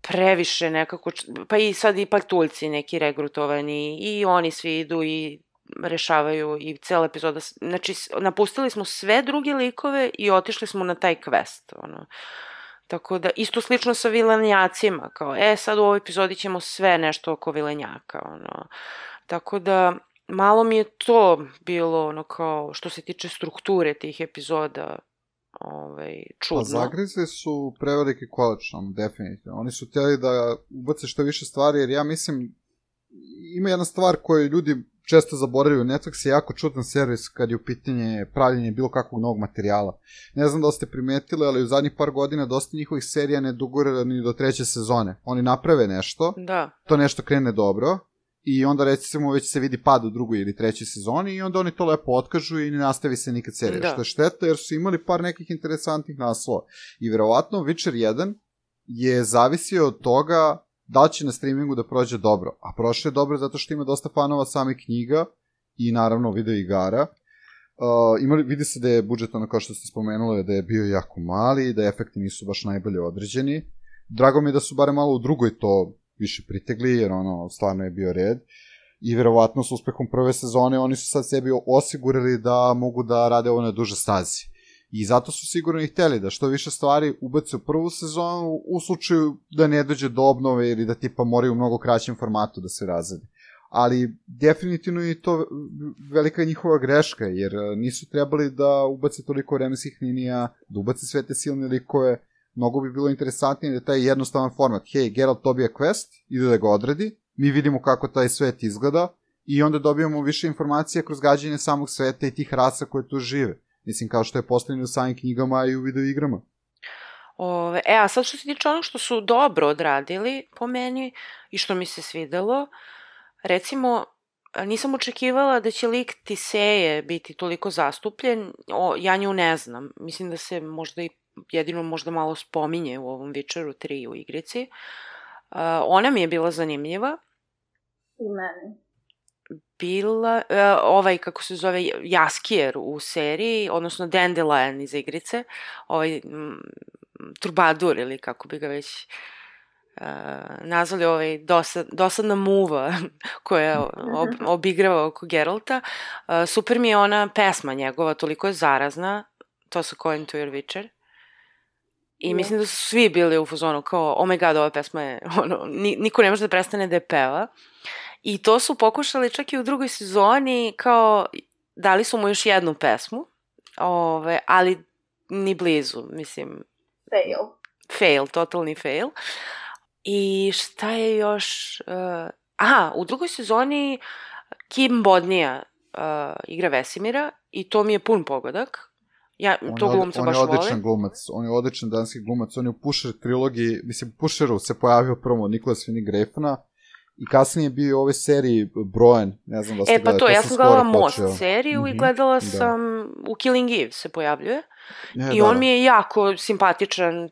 Speaker 1: previše nekako, pa i sad i patuljci neki regrutovani i oni svi idu i rešavaju i cela epizoda, znači napustili smo sve druge likove i otišli smo na taj quest, ono. Tako da, isto slično sa vilenjacima, kao, e, sad u ovoj epizodi ćemo sve nešto oko vilenjaka, ono. Tako da, malo mi je to bilo, ono, kao, što se tiče strukture tih epizoda, ovaj, čudno.
Speaker 4: Pa zagrizli su preveliki kolač, ono, definitivno. Oni su htjeli da ubace što više stvari, jer ja mislim, ima jedna stvar koju ljudi često zaboravljaju. Netflix je jako čudan servis kad je u pitanje pravljenje bilo kakvog novog materijala. Ne znam da ste primetili, ali u zadnjih par godina dosta njihovih serija ne dogura ni do treće sezone. Oni naprave nešto,
Speaker 1: da.
Speaker 4: To nešto krene dobro, i onda recimo već se vidi pad u drugoj ili trećoj sezoni i onda oni to lepo otkažu i ne nastavi se nikad serija. Da. Što je šteta jer su imali par nekih interesantnih naslova. I verovatno Witcher jedan je zavisio od toga da će na streamingu da prođe dobro. A prošle je dobro zato što ima dosta fanova samih knjiga i naravno video igara. Uh, imali, vidi se da je budžet, ono kao što ste spomenuli, da je bio jako mali, da efekti nisu baš najbolje određeni. Drago mi je da su bare malo u drugoj to više pritegli, jer ono, stvarno je bio red. I verovatno s uspehom prve sezone oni su sad sebi osigurali da mogu da rade ovo na duže stazi. I zato su sigurno i hteli da što više stvari ubace u prvu sezonu u slučaju da ne dođe do obnove ili da tipa moraju u mnogo kraćem formatu da se razrede. Ali definitivno je to velika njihova greška, jer nisu trebali da ubace toliko vremenskih linija, da ubace sve te silne likove. Mnogo bi bilo interesantnije da taj jednostavan format, hej, Geralt dobija quest, ide da ga odredi, mi vidimo kako taj svet izgleda i onda dobijamo više informacija kroz gađanje samog sveta i tih rasa koje tu žive. Mislim, kao što je postavljeno u samim knjigama i u video igrama.
Speaker 1: Ove, e, a sad što se tiče ono što su dobro odradili po meni i što mi se svidelo, recimo, nisam očekivala da će lik Tiseje biti toliko zastupljen, o, ja nju ne znam. Mislim da se možda i jedino možda malo spominje u ovom Witcheru tri u igrici. Uh, ona mi je bila zanimljiva.
Speaker 5: I meni.
Speaker 1: Bila, uh, ovaj, kako se zove, Jaskier u seriji, odnosno Dandelion iz igrice, ovaj m, Trubadur ili kako bi ga već uh, nazvali, ovaj dosad, dosadna muva koja ob, obigrava oko Geralta. Uh, super mi je ona pesma njegova, toliko je zarazna, to su Going to Your Witcher. I yeah. Mislim da su svi bili u fazonu kao, oh my god, ova pesma je, ono, niko ne može da prestane da je peva. I to su pokušali čak i u drugoj sezoni, kao, dali su mu još jednu pesmu, ove, ali ni blizu, mislim.
Speaker 5: Fail.
Speaker 1: Fail, totalni fail. I šta je još, uh, aha, u drugoj sezoni Kim Bodnia uh, igra Vesemira i to mi je pun pogodak. Ja,
Speaker 4: on
Speaker 1: to glumca baš vole.
Speaker 4: On je odličan glumac, on je odličan danski glumac, on je u Pusher trilogiji, mislim, u Pusheru se pojavio prvo Nicholas Winning Refna i kasnije je bio u ovoj seriji Brojan, ne znam da ste
Speaker 1: gledali. E pa to,
Speaker 4: to
Speaker 1: ja sam gledala Most
Speaker 4: počeo.
Speaker 1: seriju mm-hmm. i gledala sam, da. U Killing Eve se pojavljuje
Speaker 4: e,
Speaker 1: i
Speaker 4: da,
Speaker 1: on
Speaker 4: da.
Speaker 1: mi je jako simpatičan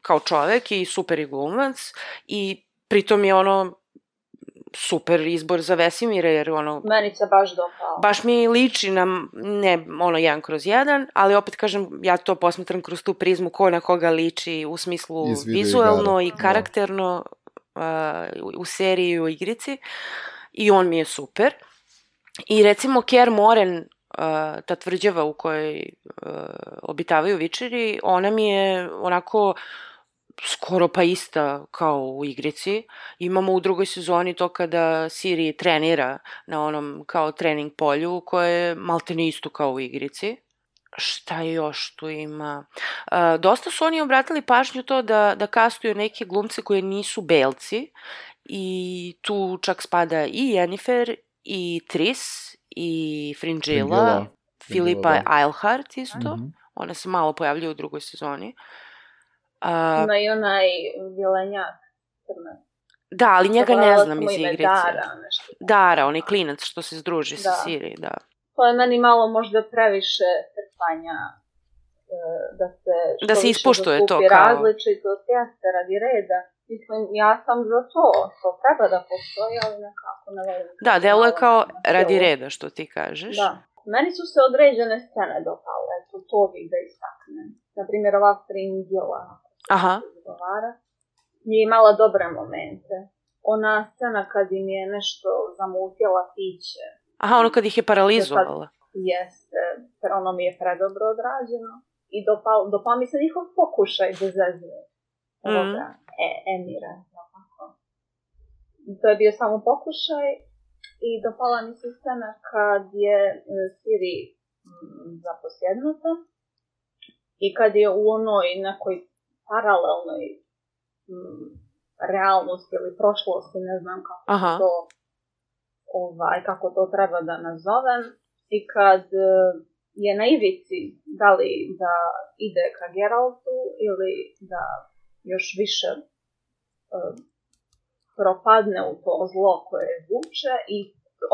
Speaker 1: kao čovek i super i glumac i pritom je ono super izbor za Vesemira, jer ono...
Speaker 5: Meni se baš dopao.
Speaker 1: Baš mi liči na, ne ono jedan kroz jedan, ali opet kažem, ja to posmatram kroz tu prizmu ko na koga liči u smislu vizuelno i karakterno uh, u seriji i u igrici. I on mi je super. I recimo Kaer Morhen, uh, ta tvrđava u kojoj uh, obitavaju Witcheri, ona mi je onako... skoro pa ista kao u igrici. Imamo u drugoj sezoni to kada Ciri trenira na onom kao trening polju koje je maltene isto kao u igrici. Šta još tu ima? Uh, dosta su oni obratili pažnju to da, da kastuju neke glumce koje nisu belci i tu čak spada i Yennefer i Triss i Fringilla, Filipa Eilhart isto. Mm-hmm. Ona se malo pojavljuje u drugoj sezoni. Uh,
Speaker 5: Ima i onaj vilenjak crnac.
Speaker 1: Da, ali njega ne znam iz igrice.
Speaker 5: Dara, nešto.
Speaker 1: Dara, onaj klinac što se združi
Speaker 5: da.
Speaker 1: sa Ciri, da.
Speaker 5: To je meni malo možda previše trpanja da se što
Speaker 1: da se ispuštuje to kao
Speaker 5: različitost, jeste radi reda. Mislim, ja sam za to, to treba da postoji, ali nekako ne volim.
Speaker 1: Da, delo je kao radi reda, što ti kažeš.
Speaker 5: Da. Meni su se određene scene dopale, eto, to bih da istaknem. Naprimjer, ova Fringilla.
Speaker 1: Aha.
Speaker 5: Nije imala dobre momente. Ona scena kad im je nešto zamutila piće.
Speaker 1: Aha, ono kad ih je paralizovala.
Speaker 5: Jeste, jer ono mi je predobro odrađeno. I dopal, dopal mi se njihov pokušaj da zezne. Mm. E, Emira. Tako. To je bio samo pokušaj. I dopala mi se scena kad je Ciri zaposjednuta. I kad je u onoj nekoj paralelnoj m, realnosti ili prošlosti, ne znam kako
Speaker 1: Aha.
Speaker 5: to ovaj, kako to treba da nazovem, i kad je na ivici da li da ide ka Geraltu ili da još više uh, propadne u to zlo koje vuče, i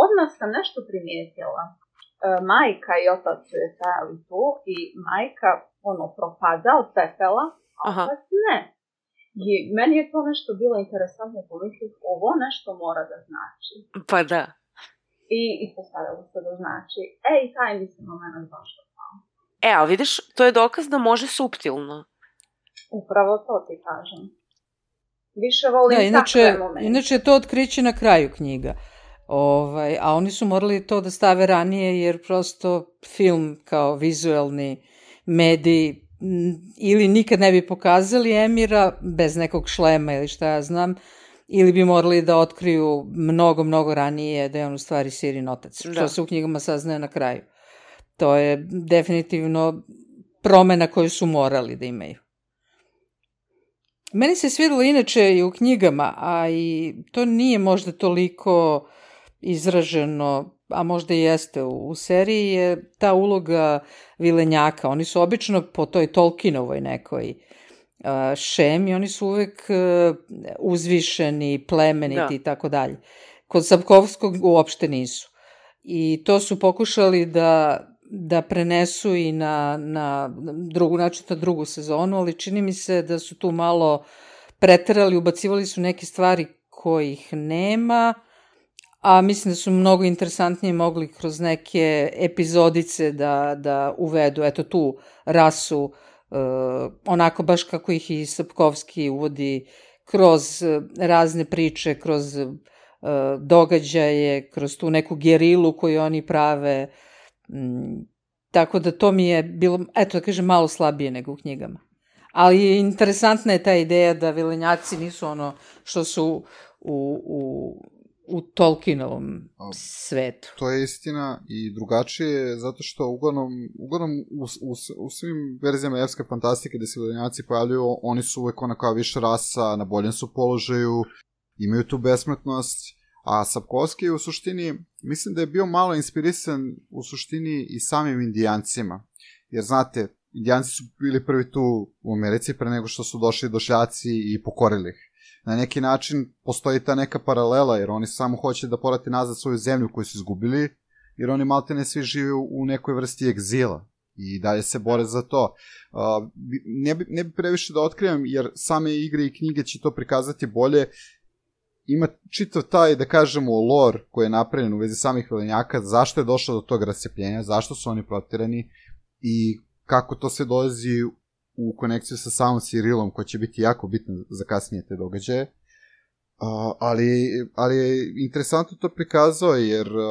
Speaker 5: odmah sam nešto primijetila. Uh, majka i otac su je stajali tu i majka ono propada od pepela, a otac ne. I meni je to nešto bilo interesantno pomisliti, ovo nešto mora da znači.
Speaker 1: Pa da.
Speaker 5: I ispostavilo se da znači, ej, taj mi se moment baš dopao.
Speaker 1: E, ali vidiš, to je dokaz da može suptilno.
Speaker 5: Upravo to ti kažem. Više volim
Speaker 3: da, inače,
Speaker 5: takve momente.
Speaker 3: Inače je to otkriće na kraju knjiga. Ovaj, a oni su morali to da stave ranije jer prosto film kao vizuelni medij ili nikad ne bi pokazali Emira bez nekog šlema ili šta ja znam, ili bi morali da otkriju mnogo, mnogo ranije da je on u stvari Sirin otac, što da. se u knjigama saznaje na kraju. To je definitivno promena koju su morali da imaju. Meni se svidelo inače i u knjigama, a i to nije možda toliko izraženo, a možda i jeste u, u seriji, je ta uloga vilenjaka. Oni su obično po toj Tolkienovoj nekoj uh, šemi, oni su uvek uh, uzvišeni, plemeniti i tako dalje. Kod Sapkovskog uopšte nisu. I to su pokušali da, da prenesu i na, na drugu, znači na drugu sezonu, ali čini mi se da su tu malo preterali, ubacivali su neke stvari kojih nema, a mislim da su mnogo interesantnije mogli kroz neke epizodice da, da uvedu, eto tu rasu, uh, onako baš kako ih i Sapkovski uvodi kroz razne priče, kroz uh, događaje, kroz tu neku gerilu koju oni prave. Mm, tako da to mi je bilo, eto da kažem, malo slabije nego u knjigama. Ali interesantna je ta ideja da vilenjaci nisu ono što su u, u, u Tolkienovom svetu.
Speaker 4: To je istina i drugačije, zato što uglavnom, uglavnom u, u, u svim verzijama evske fantastike gde se vilenjaci pojavljuju, oni su uvek ona kao više rasa, na boljem su položaju, imaju tu besmrtnost, a Sapkovski u suštini, mislim da je bio malo inspirisan u suštini i samim indijancima, jer znate, indijanci su bili prvi tu u Americi pre nego što su došli došljaci i pokorili ih. Na neki način postoji ta neka paralela, jer oni samo hoće da porate nazad svoju zemlju koju su izgubili, jer oni maltene svi žive u nekoj vrsti egzila i dalje se bore za to. Uh, ne, bi, ne bi previše da otkrivam, jer same igre i knjige će to prikazati bolje. Ima čitav taj, da kažemo, lore koji je napravljen u vezi samih vilenjaka, zašto je došlo do tog rascepljenja, zašto su oni protirani i kako to sve dolazi u konekciju sa samom Cirilom, koja će biti jako bitna za kasnije te događaje. Uh, ali, ali je interesantno to prikazao, jer uh,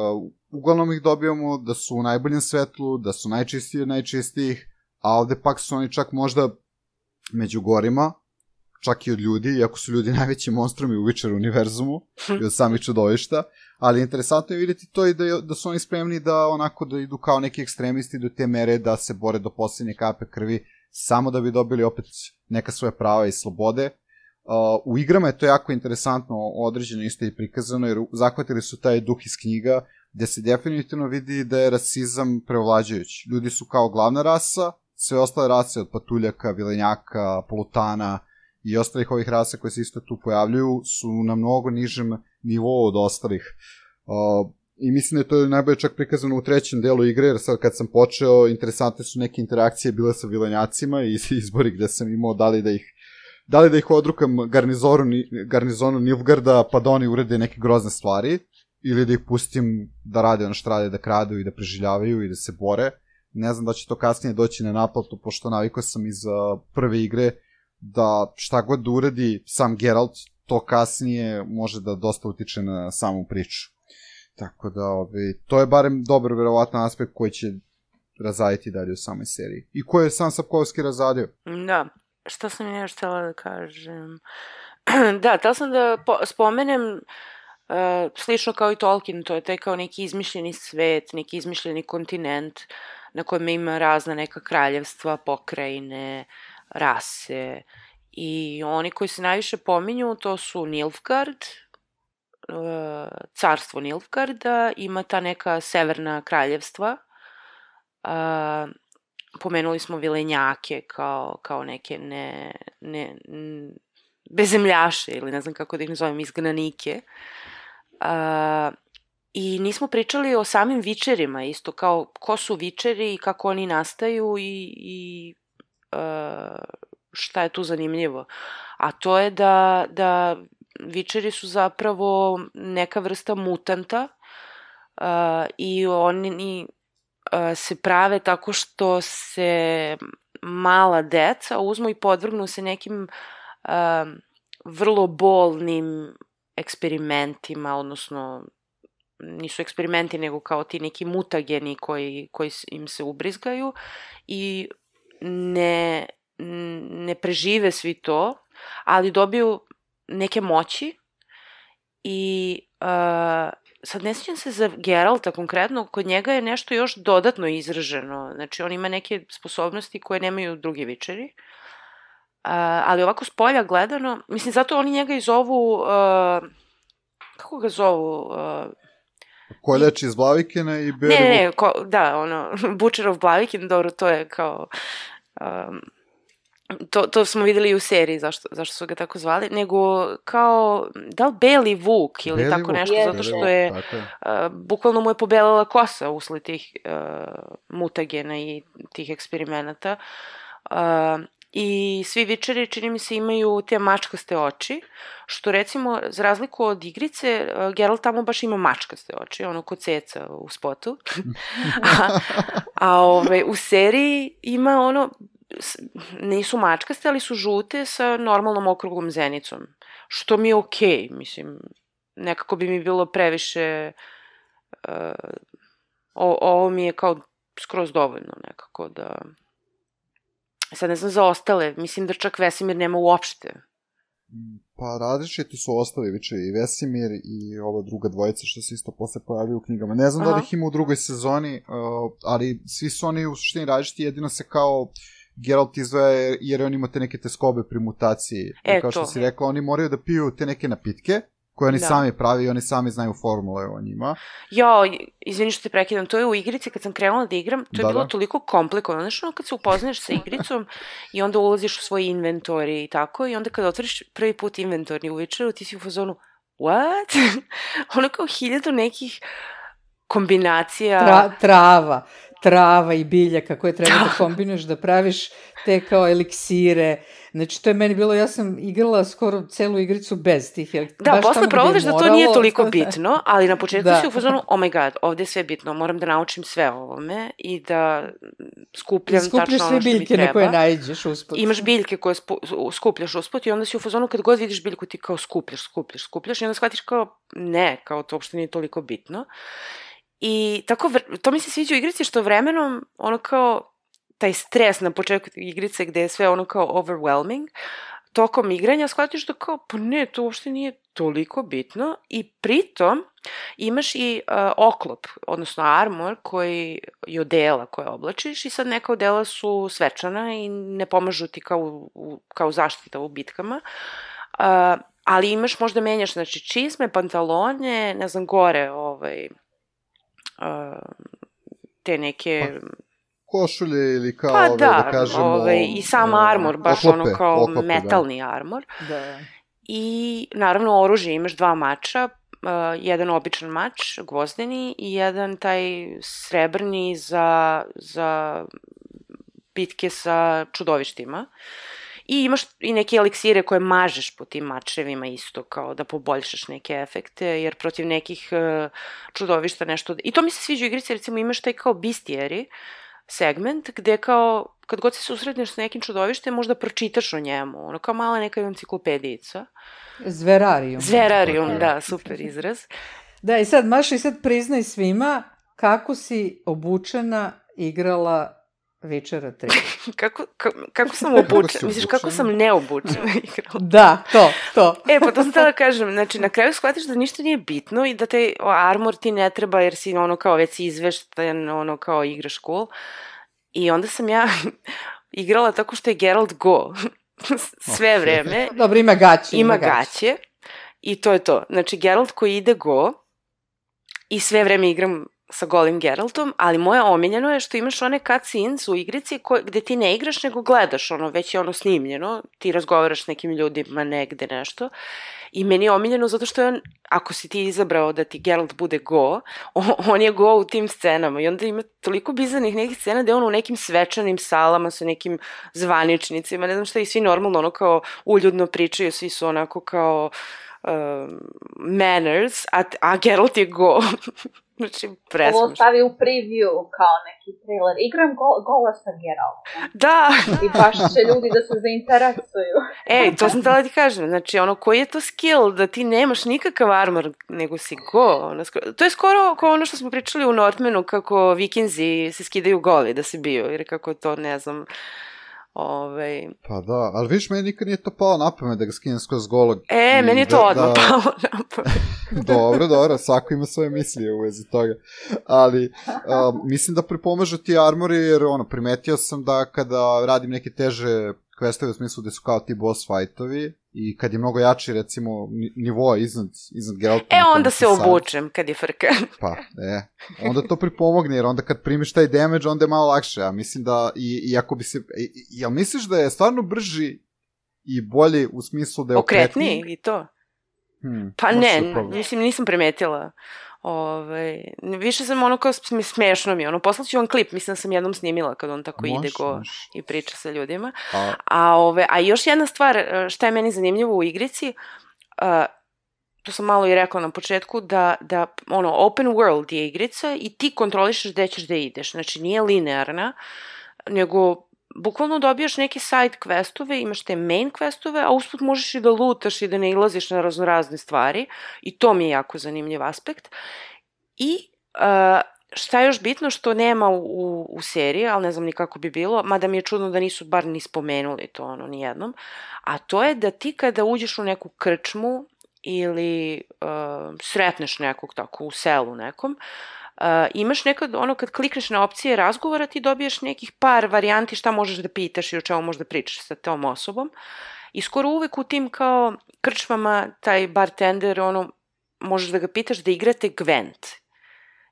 Speaker 4: uglavnom ih dobijamo da su u najboljem svetlu, da su najčistiji od najčistijih, a ovde pak su oni čak možda među gorima, čak i od ljudi, iako su ljudi najveći monstrumi u Witcher univerzumu i od samih čudovišta, ali interesantno je vidjeti to i da, da su oni spremni da onako da idu kao neki ekstremisti do te mere da se bore do posljednje kape krvi, samo da bi dobili opet neka svoje prava i slobode. Uh, u igrama je to jako interesantno određeno isto i prikazano, jer zahvatili su taj duh iz knjiga, gde se definitivno vidi da je rasizam prevlađajući. Ljudi su kao glavna rasa, sve ostale rase od patuljaka, vilenjaka, polutana i ostalih ovih rasa koje se isto tu pojavljuju su na mnogo nižem nivou od ostalih. Uh, I mislim da je to najbolje čak prikazano u trećem delu igre, jer sad kad sam počeo, interesantne su neke interakcije bile sa vilenjacima i izbori gde sam imao da li da ih, da li da ih odrukam garnizonu, garnizonu Nilfgarda pa da oni urede neke grozne stvari, ili da ih pustim da rade ono što rade, da kradu i da preživljavaju i da se bore. Ne znam da će to kasnije doći na naplatu, pošto navikao sam iz uh, prve igre da šta god da uredi sam Geralt, to kasnije može da dosta utiče na samu priču. Tako da, ove, to je barem dobar, verovatan aspekt koji će razaditi dalje u samoj seriji. I koji je sam Sapkovski razadio.
Speaker 1: Da, šta sam ja još htjela da kažem? Da, htjela sam da po- spomenem uh, slično kao i Tolkien, to je taj kao neki izmišljeni svet, neki izmišljeni kontinent na kojem ima razna neka kraljevstva, pokrajine, rase. I oni koji se najviše pominju, to su Nilfgaard, carstvo Nilfgaarda, ima ta neka severna kraljevstva. Uh, pomenuli smo vilenjake kao, kao neke ne, ne, n, bezemljaše, ili ne znam kako da ih nazovem, izgnanike. Uh, I nismo pričali o samim vičerima, isto kao ko su vičeri i kako oni nastaju i, i uh, šta je tu zanimljivo. A to je da, da Witcheri su zapravo neka vrsta mutanta uh, i oni uh, se prave tako što se mala deca uzmu i podvrgnu se nekim uh, vrlo bolnim eksperimentima, odnosno nisu eksperimenti, nego kao ti neki mutageni koji, koji im se ubrizgaju i ne, ne prežive svi to, ali dobiju neke moći i uh, sad ne sjećam se za Geralta konkretno, kod njega je nešto još dodatno izraženo, znači on ima neke sposobnosti koje nemaju drugi Witcheri, uh, ali ovako s polja gledano, mislim zato oni njega i zovu, uh, kako ga zovu, uh,
Speaker 4: Koljač iz Blavikina i Beri...
Speaker 1: Ne, ne, ne, ko, da, ono, Butcher of Blaviken, dobro, to je kao... Um, to, to smo videli i u seriji, zašto, zašto su ga tako zvali, nego kao, da li Beli Vuk ili
Speaker 4: Beli
Speaker 1: tako
Speaker 4: Vuk,
Speaker 1: nešto,
Speaker 5: je,
Speaker 1: zato što
Speaker 5: je.
Speaker 1: je, uh, bukvalno mu je pobelila kosa usled tih uh, mutagena i tih eksperimenata. Uh, I svi Witcheri, čini mi se, imaju te mačkaste oči, što recimo, za razliku od igrice, Geralt tamo baš ima mačkaste oči, ono ko ceca u spotu. a a ove, u seriji ima ono, nisu mačkaste, ali su žute sa normalnom okruglom zenicom, što mi je okej, okay, mislim, nekako bi mi bilo previše, uh, o, ovo mi je kao skroz dovoljno nekako da... Sad ne znam za ostale, mislim da čak Vesemir nema uopšte.
Speaker 4: Pa različiti su ostali Witcheri, i Vesemir i ova druga dvojica što se isto posle pojavljaju u knjigama. Ne znam Aha. da li ih ima u drugoj sezoni, uh, ali svi su oni u suštini različiti, jedino se kao Geralt izdvaja jer on ima te neke teskobe pri mutaciji.
Speaker 1: E,
Speaker 4: kao što
Speaker 1: to.
Speaker 4: si rekla, oni moraju da piju te neke napitke, koje oni da. sami pravi i oni sami znaju formule o njima.
Speaker 1: Jo, izvini što te prekidam, to je u igrici kad sam krenula da igram, to je da, bilo da. toliko komplikovano. Znaš ono kad se upoznaš sa igricom i onda ulaziš u svoj inventori i tako, i onda kad otvoriš prvi put inventori u Witcheru, ti si u fazonu, what? Ono kao hiljadu nekih kombinacija.
Speaker 3: Tra, trava, trava i biljaka koje treba da kombinuješ, da praviš te kao eliksire. Znači, to je meni bilo, ja sam igrala skoro celu igricu bez tih eliksira.
Speaker 1: Da, posle provodiš da to nije toliko bitno, ali na početku da. si u fazonu, oh my god, ovde je sve bitno, moram da naučim sve o ovome i da skupljam tačno ono što mi treba. Skupljaš sve biljke na koje naiđeš usput. Imaš biljke koje spu, skupljaš usput i onda si u fazonu kad god vidiš biljku ti kao skupljaš, skupljaš, skupljaš i onda shvatiš kao ne, kao to uopšte nije toliko bitno. I tako, to mi se sviđa u igrici što vremenom ono kao taj stres na početku igrice gde je sve ono kao overwhelming, tokom igranja shvatiš da kao, pa ne, to uopšte nije toliko bitno i pritom imaš i uh, oklop, odnosno armor koji je odela koje oblačiš i sad neka odela su svečana i ne pomažu ti kao, u, kao zaštita u bitkama, uh, ali imaš, možda menjaš, znači čizme, pantalone, ne znam, gore, ovaj, uh, te neke...
Speaker 4: Pa. Košulje ili kao,
Speaker 1: pa
Speaker 4: ove,
Speaker 1: da,
Speaker 4: da kažemo...
Speaker 1: Ove, i sam armor, baš
Speaker 4: oklope,
Speaker 1: ono kao
Speaker 4: oklope,
Speaker 1: metalni
Speaker 4: da.
Speaker 1: armor.
Speaker 3: Da.
Speaker 1: I naravno oružje, imaš dva mača, uh, jedan običan mač, gvozdeni, i jedan taj srebrni za, za bitke sa čudovištima. I imaš i neke eliksire koje mažeš po tim mačevima isto, kao da poboljšaš neke efekte, jer protiv nekih uh, čudovišta nešto... I to mi se sviđa u igrici, recimo imaš taj kao bistijeri segment, gde kao, kad god se susretneš s nekim čudovištem, možda pročitaš o njemu, ono kao mala neka enciklopedijica.
Speaker 3: Zverarium.
Speaker 1: Zverarium, okay. Da, super izraz.
Speaker 3: Da, i sad, Maša, i sad priznaj svima kako si obučena igrala Witchera tri.
Speaker 1: kako, ka, kako sam obučena? Misliš, kako sam neobučena igrala?
Speaker 3: Da, to, to.
Speaker 1: E, pa to sam tada kažem, znači, na kraju shvatiš da ništa nije bitno i da te armor ti ne treba jer si ono kao već si izvešten, ono kao igraš cool. I onda sam ja igrala tako što je Geralt go sve vreme.
Speaker 3: Dobro, ima gaće.
Speaker 1: Ima, ima gaće. gaće. I to je to. Znači, Geralt koji ide go i sve vreme igram sa golim Geraltom, ali moje omiljeno je što imaš one cutscenes u igrici koje, gde ti ne igraš nego gledaš, ono, već je ono snimljeno, ti razgovaraš s nekim ljudima negde nešto i meni je omiljeno zato što je on, ako si ti izabrao da ti Geralt bude go, on, on je go u tim scenama i onda ima toliko bizarnih nekih scena gde on u nekim svečanim salama sa nekim zvaničnicima, ne znam šta, i svi normalno ono kao uljudno pričaju, svi su onako kao um, manners, a, a Geralt je go. Znači, presmešno.
Speaker 5: Ovo stavi u preview kao neki trailer. Igram go, gola sa Geraltom.
Speaker 1: Da!
Speaker 5: I baš će ljudi da se zainteresuju.
Speaker 1: Ej, to sam htjela ti kažem. Znači, ono, koji je to skill da ti nemaš nikakav armor, nego si go? Ono, to je skoro kao ono što smo pričali u Northmanu, kako vikinzi se skidaju goli da si bio, jer kako to, ne znam... Ove...
Speaker 4: Pa da, ali vidiš, meni nikad nije to palo na pamet da ga skinem skroz golog.
Speaker 1: E, meni je to
Speaker 4: da,
Speaker 1: odmah
Speaker 4: da...
Speaker 1: palo na pamet.
Speaker 4: Dobro, dobro, svako ima svoje mislije u vezi toga. Ali, um, mislim da pripomažu ti armori, jer ono, primetio sam da kada radim neke teže questove u smislu gde su kao ti boss fightovi i kad je mnogo jači, recimo, nivoa iznad, iznad Geralta.
Speaker 1: E, onda se obučem kad je frka.
Speaker 4: Pa, e, onda to pripomogne, jer onda kad primiš taj damage, onda je malo lakše. Ja mislim da, i, i ako bi se, i, jel misliš da je stvarno brži i bolji u smislu da je okretniji?
Speaker 1: Okretniji i to?
Speaker 4: Hmm,
Speaker 1: pa ne, mislim, nisam primetila. Ove, više sam ono kao smešno mi, ono, poslaću vam klip, mislim da sam jednom snimila kad on tako
Speaker 4: moš,
Speaker 1: ide go
Speaker 4: moš.
Speaker 1: I priča sa ljudima.
Speaker 4: A,
Speaker 1: a, ove, a još jedna stvar, šta je meni zanimljivo u igrici, uh, to sam malo i rekla na početku, da, da ono, open world je igrica i ti kontrolišeš gde ćeš da ideš, znači nije linearna, nego bukvalno dobijaš neke side questove, imaš te main questove, a usput možeš i da lutaš i da ne ilaziš na raznorazne stvari i to mi je jako zanimljiv aspekt. I uh, šta je još bitno što nema u, u seriji, ali ne znam ni kako bi bilo, mada mi je čudno da nisu bar ni spomenuli to ono nijednom, a to je da ti kada uđeš u neku krčmu ili uh, sretneš nekog tako u selu nekom, Uh, imaš nekad, ono kad klikneš na opcije razgovora, ti dobiješ nekih par varijanti šta možeš da pitaš i o čemu možeš da pričaš sa tom osobom. I skoro uvek u tim kao krčmama taj bartender, ono, možeš da ga pitaš da igrate Gwent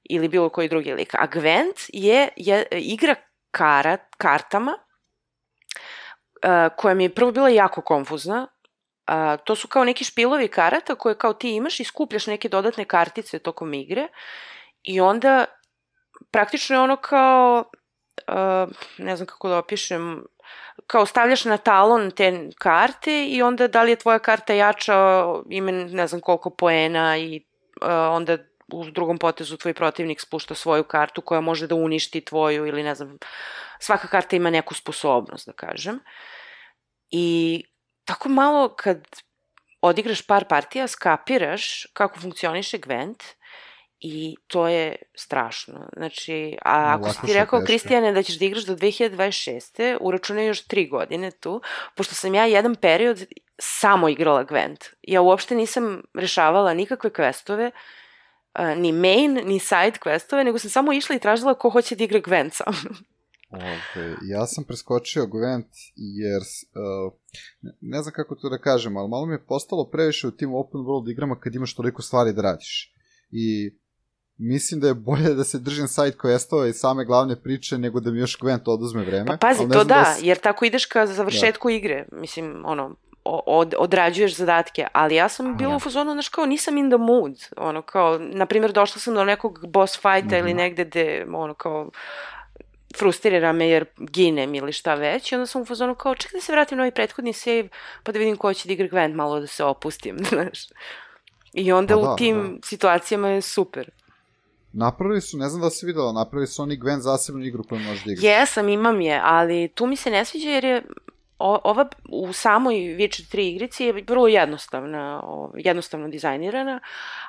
Speaker 1: ili bilo koji drugi lik. A Gwent je, je igra kara, kartama uh, koja mi je prvo bila jako konfuzna. Uh, to su kao neki špilovi karata koje kao ti imaš i skupljaš neke dodatne kartice tokom igre. I onda, praktično je ono kao, uh, ne znam kako da opišem, kao stavljaš na talon te karte i onda da li je tvoja karta jača, ima ne znam koliko poena i uh, onda u drugom potezu tvoj protivnik spušta svoju kartu koja može da uništi tvoju ili ne znam, svaka karta ima neku sposobnost, da kažem. I tako malo kad odigraš par partija, skapiraš kako funkcioniše Gwent. I to je strašno. Znači, a ako si ti rekao, Kristijane, da ćeš da igraš do dve hiljade dvadeset šeste. uračunaj još tri godine tu, pošto sam ja jedan period samo igrala Gwent. Ja uopšte nisam rešavala nikakve questove, ni main, ni side questove, nego sam samo išla i tražila ko hoće da igra Gwent sa mnom.
Speaker 4: Okay. Ja sam preskočio Gwent jer, uh, ne znam kako to da kažem, ali malo mi je postalo previše u tim open world igrama kad imaš toliko stvari da radiš. I mislim da je bolje da se držim side questova i same glavne priče nego da mi još Gwent oduzme vreme.
Speaker 1: Pa pazi, to da, da s... jer tako ideš ka završetku da. igre. Mislim, ono, od, odrađuješ zadatke, ali ja sam bila ja. u fazonu, znaš, kao nisam in the mood. Ono, kao, na primjer, došla sam do nekog boss fighta mm-hmm. ili negde gde, ono, kao, frustrira me jer ginem ili šta već i onda sam u fazonu kao, čekaj da se vratim na ovaj prethodni save pa da vidim ko će da igra Gwent, malo da se opustim, znaš. I onda pa u da, tim da. situacijama je super.
Speaker 4: Napravili su, ne znam da si videla, napravili su oni Gwent zasebnu igru koju možeš da igraš.
Speaker 1: Jesam, imam je, ali tu mi se ne sviđa jer je o, ova u samoj Witcher tri igrici je vrlo jednostavna, o, jednostavno dizajnirana,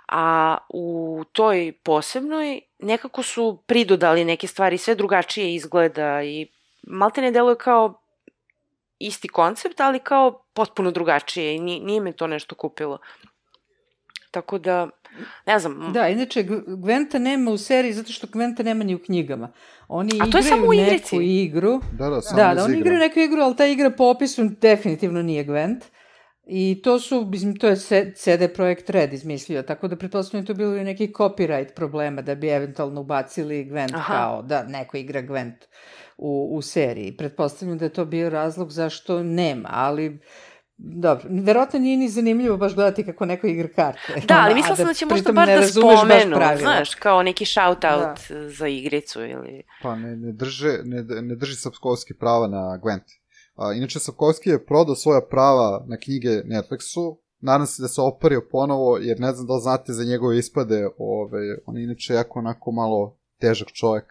Speaker 1: a u toj posebnoj nekako su pridodali neke stvari, sve drugačije izgleda i malte ne deluje kao isti koncept, ali kao potpuno drugačije i nije, nije me to nešto kupilo. Tako da, ne znam.
Speaker 3: Da, inače, Gwenta nema u seriji zato što Gwenta nema ni u knjigama. Oni
Speaker 1: A to je samo u igrici?
Speaker 3: neku igru.
Speaker 4: Da, da, samo
Speaker 3: da, da, oni igraju neku igru, ali ta igra po opisu definitivno nije Gwent. I to su, mislim, to je C D Projekt Red izmislio, tako da pretpostavljam to bilo i neki copyright problema da bi eventualno ubacili Gwent Aha. kao da neko igra Gwent u, u seriji. Pretpostavljam da je to bio razlog zašto nema, ali dobro, verovatno nije ni zanimljivo baš gledati kako neko igra karte.
Speaker 1: Da, ali mislila sam da, da će možda bar da spomenu, znaš, kao neki shout-out da. za igricu ili...
Speaker 4: Pa ne, ne, drže, ne, ne drži Sapkowski prava na Gwent. A, inače, Sapkowski je prodao svoja prava na knjige Netflixu. Nadam se da se opario ponovo, jer ne znam da li znate za njegove ispade. Ove, on je inače jako onako malo težak čovjek.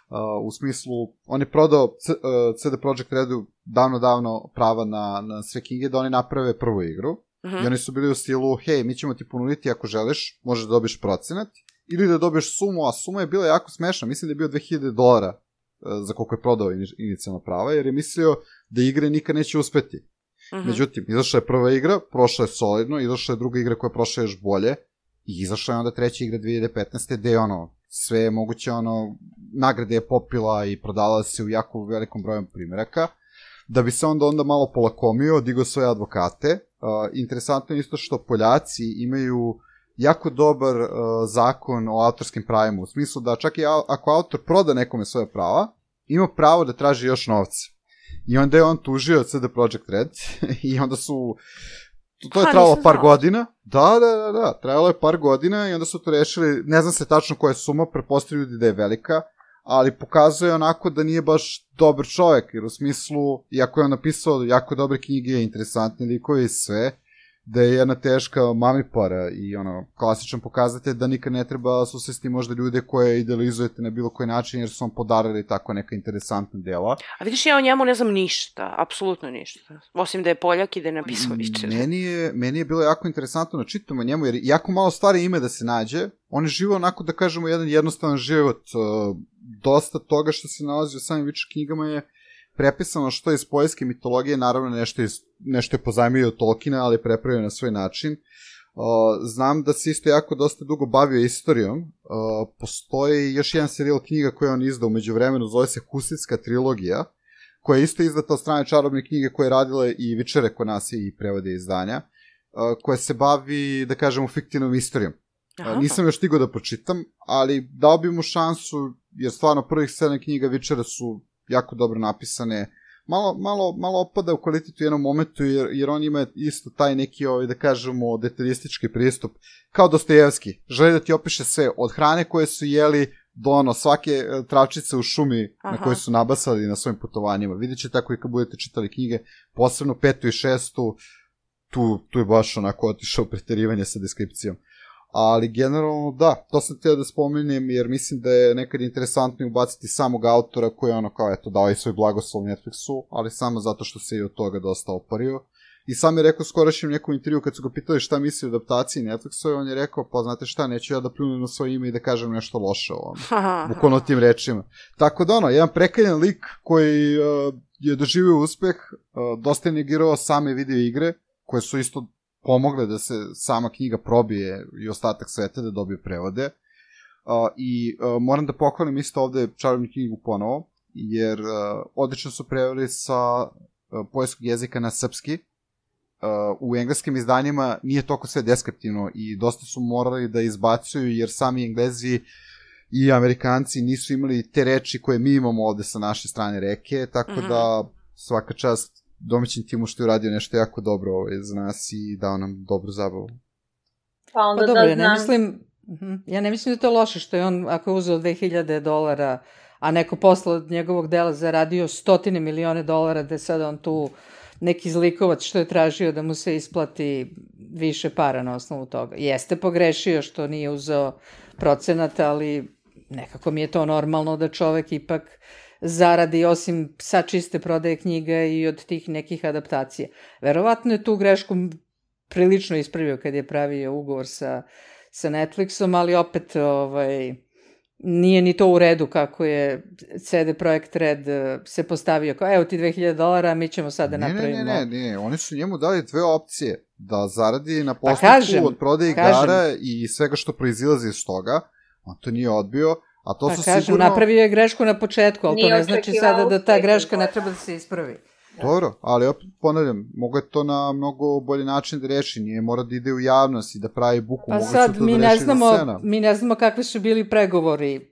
Speaker 4: Uh, u smislu, on je prodao C, uh, C D Projekt Redu davno, davno prava na, na sve knjige da oni naprave prvu igru. Uh-huh. I oni su bili u stilu, hej, mi ćemo ti ponuditi ako želiš, možeš da dobiješ procenat, ili da dobiješ sumu, a suma je bila jako smešna, mislim da je bio dve hiljade dolara uh, za koliko je prodao inicijalna prava, jer je mislio da igre nikad neće uspeti. Uh-huh. Međutim, izašla je prva igra, prošla je solidno, izašla je druga igra koja je prošla još bolje, i izašla je onda treća igra dve hiljade petnaeste gde je ono, sve je moguće, ono, nagrade je popila i prodala se u jako velikom broju primjeraka, da bi se onda onda malo polakomio, digao svoje advokate. Uh, interesantno je isto što Poljaci imaju jako dobar uh, zakon o autorskim pravima, u smislu da čak i ako autor proda nekome svoje prava, ima pravo da traži još novca. I onda je on tužio C D Projekt Red i onda su... To, to je trajalo par godina. Da, da, da, da, trajalo je par godina i onda su to rešili, ne znam se tačno koja je suma, pretpostavljaju ljudi da je velika, ali pokazuje onako da nije baš dobar čovjek, jer u smislu, iako je on napisao jako dobre knjige, interesantne likove i sve, da je jedna teška mamipara i ono, klasičan pokazatelj da nikad ne treba susresti možda ljude koje idealizujete na bilo koji način, jer su vam podarili tako neka interesantna dela.
Speaker 1: A vidiš, ja o njemu ne znam ništa, apsolutno ništa, osim da je Poljak i da je napisao Witcher.
Speaker 4: Meni je, meni je bilo jako interesantno da čitam o njemu, jer jako malo stvari ime da se nađe, on je živo onako, da kažemo, jedan jednostavan život, dosta toga što se nalazi u samim Witcher knjigama je prepisano što je iz poljske mitologije, naravno nešto, iz, nešto je pozajmio od Tolkiena, ali prepravio na svoj način. Uh, znam da se isto jako dosta dugo bavio istorijom. Uh, postoji još jedan serijal knjiga koji on izdao umeđu vremenu, zove se Husitska trilogija, koja je isto izdata od strane čarobne knjige koje je radile i Witchere kod nas i prevode izdanja, uh, koja se bavi, da kažemo, fiktivnom istorijom. Uh, nisam još stigao da pročitam, ali dao bi mu šansu, jer stvarno prvih sedam knjiga Witchera su jako dobro napisane, malo, malo, malo opada u kvalitetu u jednom momentu, jer, jer on ima isto taj neki, ovaj, da kažemo, detaljistički pristup, kao Dostojevski. Želi da ti opiše sve, od hrane koje su jeli do ono, svake travčice u šumi Aha. na koje su nabasali na svojim putovanjima. Vidjet će tako i kad budete čitali knjige, posebno petu i šestu, tu, tu je baš onako otišao preterivanje sa deskripcijom. Ali generalno da, to sam htio da spomenem jer mislim da je nekad interesantno ubaciti samog autora koji je ono kao eto dao i svoj blagoslov Netflixu, ali samo zato što se i od toga dosta opario. I sam je rekao skorašnjem nekom intervju kad su ga pitali šta misli o adaptaciji Netflixu i on je rekao pa znate šta, neću ja da pljunem na svoje ime i da kažem nešto loše o ovom, bukvalno tim rečima. Tako da ono, jedan prekaljan lik koji uh, je doživio uspeh, uh, dosta je negirao same video igre koje su isto pomogle da se sama knjiga probije i ostatak sveta da dobije prevode. Uh, I uh, moram da pohvalim isto ovde čarobnu knjigu ponovo, jer uh, odlično su preveli sa uh, poljskog jezika na srpski. Uh, u engleskim izdanjima nije toliko sve deskriptivno i dosta su morali da izbacuju, jer sami Englezi i Amerikanci nisu imali te reči koje mi imamo ovde sa naše strane reke, tako mm-hmm. da svaka čast domaćin timu što je uradio nešto jako dobro ovaj, za nas i dao nam dobru zabavu.
Speaker 5: Pa onda
Speaker 3: pa dobro,
Speaker 5: da
Speaker 3: ja ne mislim, ja ne mislim da to loše što je on, ako je uzeo dve hiljade dolara, a neko posle od njegovog dela zaradio stotine milione dolara, da je sada on tu neki zlikovac što je tražio da mu se isplati više para na osnovu toga. Jeste pogrešio što nije uzeo procenat, ali nekako mi je to normalno da čovek ipak zaradi osim sa čiste prodaje knjiga i od tih nekih adaptacija. Verovatno je tu grešku prilično ispravio kad je pravio ugovor sa, sa Netflixom, ali opet ovaj, nije ni to u redu kako je C D Projekt Red se postavio kao evo ti dve hiljade dolara, mi ćemo sada
Speaker 4: ne,
Speaker 3: napravimo.
Speaker 4: Ne, ne, ne, ne, oni su njemu dali dve opcije, da zaradi na postupku pa od prodaje igara i svega što proizilazi iz toga, on to nije odbio. A to
Speaker 3: pa
Speaker 4: su
Speaker 3: kažem,
Speaker 4: sigurno...
Speaker 3: napravio je grešku na početku, ali to ne znači sada da ta greška ne treba da se ispravi.
Speaker 4: Dobro, ali opet ponavljam, mogu je to na mnogo bolji način da reši, nije mora da ide u javnost i da pravi buku,
Speaker 3: pa
Speaker 4: mogu
Speaker 3: sad,
Speaker 4: se to
Speaker 3: mi
Speaker 4: da
Speaker 3: ne
Speaker 4: reši
Speaker 3: znamo,
Speaker 4: za scena.
Speaker 3: mi ne znamo kakvi su bili pregovori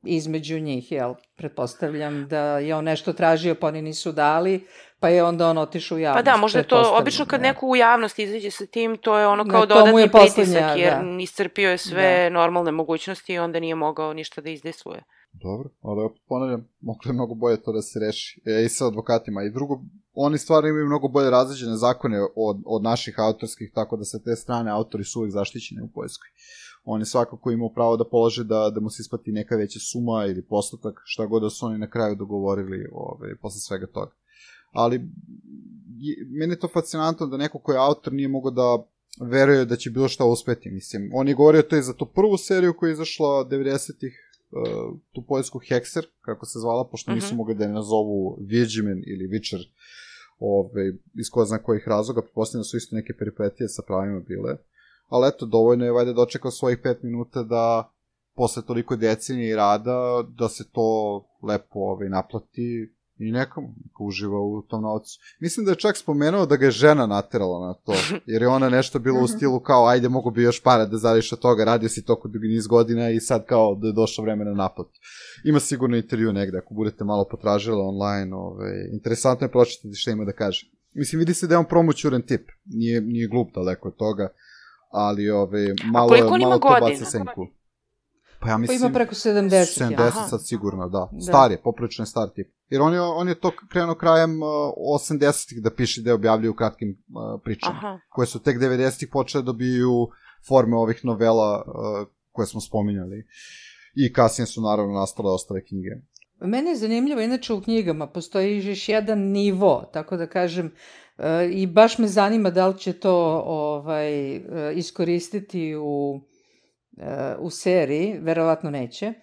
Speaker 3: između njih, jel? Pretpostavljam da je on nešto tražio, pa oni nisu dali, pa je onda on otišao u javnost.
Speaker 1: Pa da, možda je to, obično kad
Speaker 3: ne.
Speaker 1: neko u javnosti izađe sa tim, to je ono
Speaker 3: Ne,
Speaker 1: kao
Speaker 3: to mu je
Speaker 1: dodatni pritisak,
Speaker 3: poslednja,
Speaker 1: jer
Speaker 3: da.
Speaker 1: iscrpio je sve
Speaker 3: Da.
Speaker 1: normalne mogućnosti i onda nije mogao ništa da izdejstvuje.
Speaker 4: Dobro, ali opet ponavljam, moglo je mnogo bolje to da se reši. E, i sa advokatima. I drugo, oni stvarno imaju mnogo bolje različene zakone od, od naših autorskih, tako da sa te strane autori su uvijek zaštićeni u Poljskoj. Oni svakako imaju pravo da polože da, da mu se isplati neka veća suma ili postotak, šta god da su oni na kraju dogovorili ove, posle svega toga. Ali meni je to fascinantno da neko ko je autor nije mogao da veruje da će bilo šta uspeti. Mislim, on je govorio to i za tu prvu seriju koja je izašla devedesetih, uh, tu poljsku Hexer, kako se zvala, pošto nisu
Speaker 1: Mhm.
Speaker 4: mogli da je nazovu Vidžimen ili Witcher, ove, iz ko zna kojih razloga, pretpostavljam da su isto neke peripetije sa pravima bile. Ali eto, dovoljno je valjda dočekao svojih pet minuta da posle toliko decenije i rada, da se to lepo ovaj, naplati i nekomu, neka uživa u tom novcu. Mislim da je čak spomenuo da ga je žena naterala na to, jer je ona nešto bilo u stilu kao, ajde, mogu bi još para da zariš od toga, radio si toko dugi niz godina i sad kao da je došlo vreme na naplatu. Ima sigurno intervju negde, ako budete malo potražili online, ovaj, interesantno je pročitati šta ima da kaže. Mislim, vidi se da je on promoćuren tip, nije, nije glup daleko od toga, ali ove, malo,
Speaker 1: koliko on ima
Speaker 4: malo to
Speaker 1: godina?
Speaker 4: baca senku. Pa ja
Speaker 3: Pa
Speaker 4: mislim...
Speaker 3: ima preko sedamdeset.
Speaker 4: sedamdeset
Speaker 1: Aha.
Speaker 4: sad sigurno, da.
Speaker 3: Da.
Speaker 4: Star je, poprilično je star tip. Jer on je, on je to krenuo krajem uh, osamdesetih da piše da je objavljaju u kratkim uh, pričama,
Speaker 1: Aha.
Speaker 4: koje su tek devedesetih počele da dobiju forme ovih novela uh, koje smo spominjali. I kasnije su naravno nastale ostale knjige.
Speaker 3: Meni je zanimljivo, inače u knjigama postoji još jedan nivo, tako da kažem, e, i baš me zanima da li će to ovaj, e, iskoristiti u, e, u seriji, verovatno neće,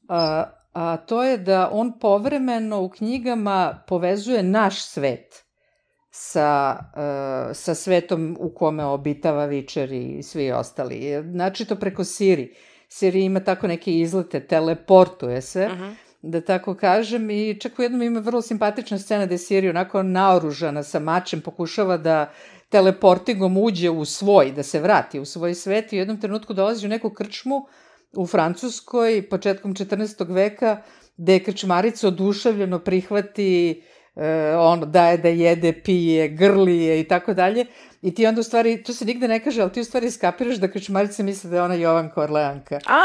Speaker 3: a, a to je da on povremeno u knjigama povezuje naš svet sa, e, sa svetom u kome obitava Witcher i svi ostali. Znači to preko Siri. Siri ima tako neke izlete, teleportuje se,
Speaker 1: Mhm.
Speaker 3: da tako kažem, i čak u jednom ima vrlo simpatična scena gde Siri onako naoružana sa mačem pokušava da teleportingom uđe u svoj, da se vrati u svoj svet i u jednom trenutku dolazi u neku krčmu u Francuskoj početkom četrnaestog veka gde je krčmarica oduševljeno prihvati e, ono, daje da jede, pije, grlije i tako dalje. I ti onda u stvari, to se nigde ne kaže, ali ti u stvari skapiraš da krčmarica misle da je ona Jovanka Orleanka.
Speaker 1: A,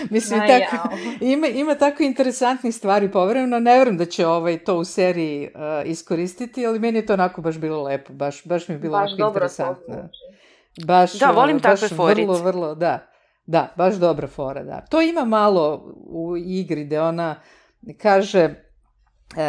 Speaker 3: Mislim,
Speaker 5: Aj,
Speaker 3: tako,
Speaker 5: jao.
Speaker 3: ima, ima tako interesantnih stvari povremeno, ne verujem da će ovaj, to u seriji uh, iskoristiti, ali meni je to onako baš bilo lepo, baš, baš mi je bilo
Speaker 5: Baš
Speaker 3: onako
Speaker 5: dobro to
Speaker 3: interesantno.
Speaker 5: zvuči.
Speaker 3: Baš,
Speaker 1: Da, volim
Speaker 3: uh, baš
Speaker 1: takve forice.
Speaker 3: Vrlo, vrlo, da, da, baš dobra fora, da. To ima malo u igri gde ona kaže uh,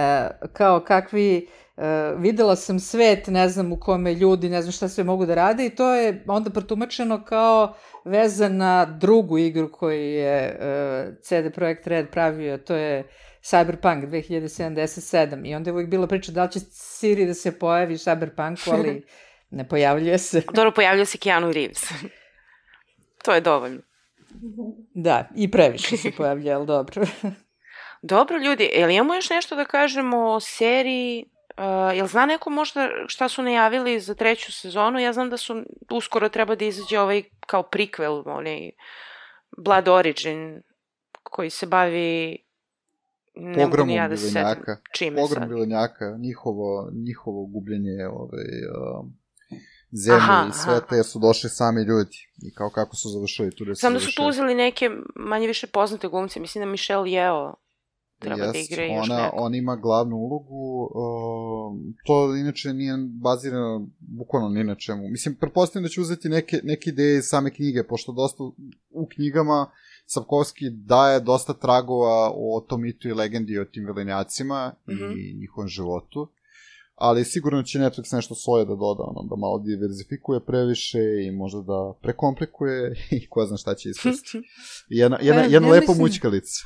Speaker 3: kao kakvi... Uh, videla sam svet, ne znam u kome ljudi, ne znam šta sve mogu da rade i to je onda protumačeno kao veza na drugu igru koju je uh, C D Projekt Red pravio, to je Cyberpunk dve hiljade sedamdeset sedam i onda je uvijek bila priča da li će Siri da se pojavi u Cyberpunku, ali ne pojavljuje se.
Speaker 1: dobro, pojavljuje se Keanu Reeves. To je dovoljno.
Speaker 3: Da, i previše se pojavljuje, ali dobro.
Speaker 1: Dobro, ljudi, jel imamo još nešto da kažemo o seriji? Uh, jel zna neko možda šta su najavili za treću sezonu? Ja znam da su uskoro treba da izađe ovaj kao prequel, onaj Blood Origin, koji se bavi ne mogu
Speaker 4: Pogromom
Speaker 1: ni ja da se setim
Speaker 4: vilenjaka.
Speaker 1: čime
Speaker 4: Pogrom
Speaker 1: sad.
Speaker 4: vilenjaka, njihovo, njihovo gubljenje ovaj, um, zemlje
Speaker 1: Aha,
Speaker 4: i sveta,
Speaker 1: aha.
Speaker 4: jer su došli sami ljudi. I kao kako su završili tu da su
Speaker 1: Znam da su tu
Speaker 4: završili.
Speaker 1: uzeli neke manje više poznate glumce, mislim da Michelle Yeoh treba da
Speaker 4: Jest,
Speaker 1: igra i još
Speaker 4: ona,
Speaker 1: neko.
Speaker 4: on ima glavnu ulogu, uh, to inače nije bazirano bukvalno ni na čemu. Mislim, pretpostavljam da će uzeti neke, neke ideje iz same knjige, pošto dosta u knjigama Sapkowski daje dosta tragova o tom mitu i legendi o tim velenjacima
Speaker 1: Mhm.
Speaker 4: i njihovom životu, ali sigurno će Netflix nešto svoje da doda, ono, da malo diverzifikuje previše i možda da prekomplikuje i ko zna šta će ispasti. Jedna, jedna,
Speaker 3: Pa,
Speaker 4: jedna
Speaker 3: ja
Speaker 4: lepa
Speaker 3: mislim-
Speaker 4: mućkalica.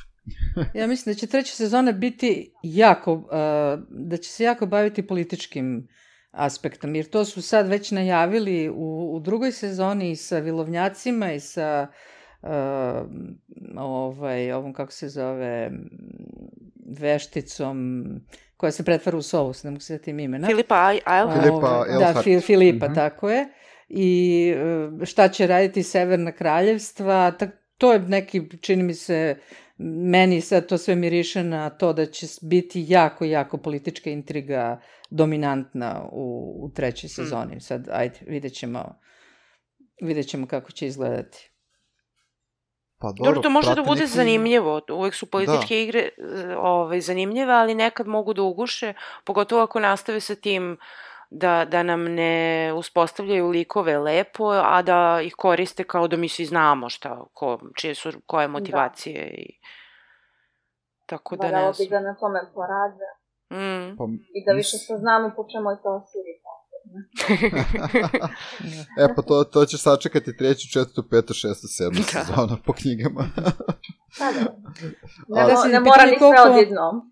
Speaker 3: Ja mislim da će treća sezona biti jako, uh, da će se jako baviti političkim aspektom, jer to su sad već najavili u, u drugoj sezoni i sa vilovnjacima i sa uh, ovaj, ovom, kako se zove, vešticom koja se pretvara u sovu, ne mogu se setim imena.
Speaker 1: Filipa Eilhart.
Speaker 4: Filipa Eilhart.
Speaker 3: Da, Fil, Filipa,
Speaker 4: Mhm.
Speaker 3: tako je. I e, šta će raditi Severna kraljevstva, tak, to je neki, čini mi se, meni sad to sve miriše na to da će biti jako, jako politička intriga dominantna u, u trećoj sezoni. Sad, ajde, vidjet ćemo, vidjet ćemo kako će izgledati.
Speaker 4: Pa dobro,
Speaker 1: Dobro, to može da
Speaker 4: prate
Speaker 1: bude
Speaker 4: neki-
Speaker 1: zanimljivo. Uvek su političke
Speaker 4: Da.
Speaker 1: igre e, ovaj, zanimljive, ali nekad mogu da uguše, pogotovo ako nastave sa tim da, da nam ne uspostavljaju likove lepo, a da ih koriste kao da mi svi znamo šta, ko, čije su, koje motivacije. I... Tako da ne
Speaker 5: Valjalo bi
Speaker 1: znam.
Speaker 5: da na tome porade
Speaker 1: Mm.
Speaker 4: Pa,
Speaker 5: i da više saznamo po čemu je to siri.
Speaker 4: e, pa to, to ćeš sačekati treću, četvrtu, petu, šestu, sedmu
Speaker 1: Da.
Speaker 4: sezonu po knjigama.
Speaker 5: Pa da. Ne,
Speaker 4: Ali-
Speaker 5: mo-
Speaker 3: sad
Speaker 5: ne
Speaker 3: je
Speaker 5: mora
Speaker 3: pitanje
Speaker 5: ni sve
Speaker 3: koliko-
Speaker 5: odjednom.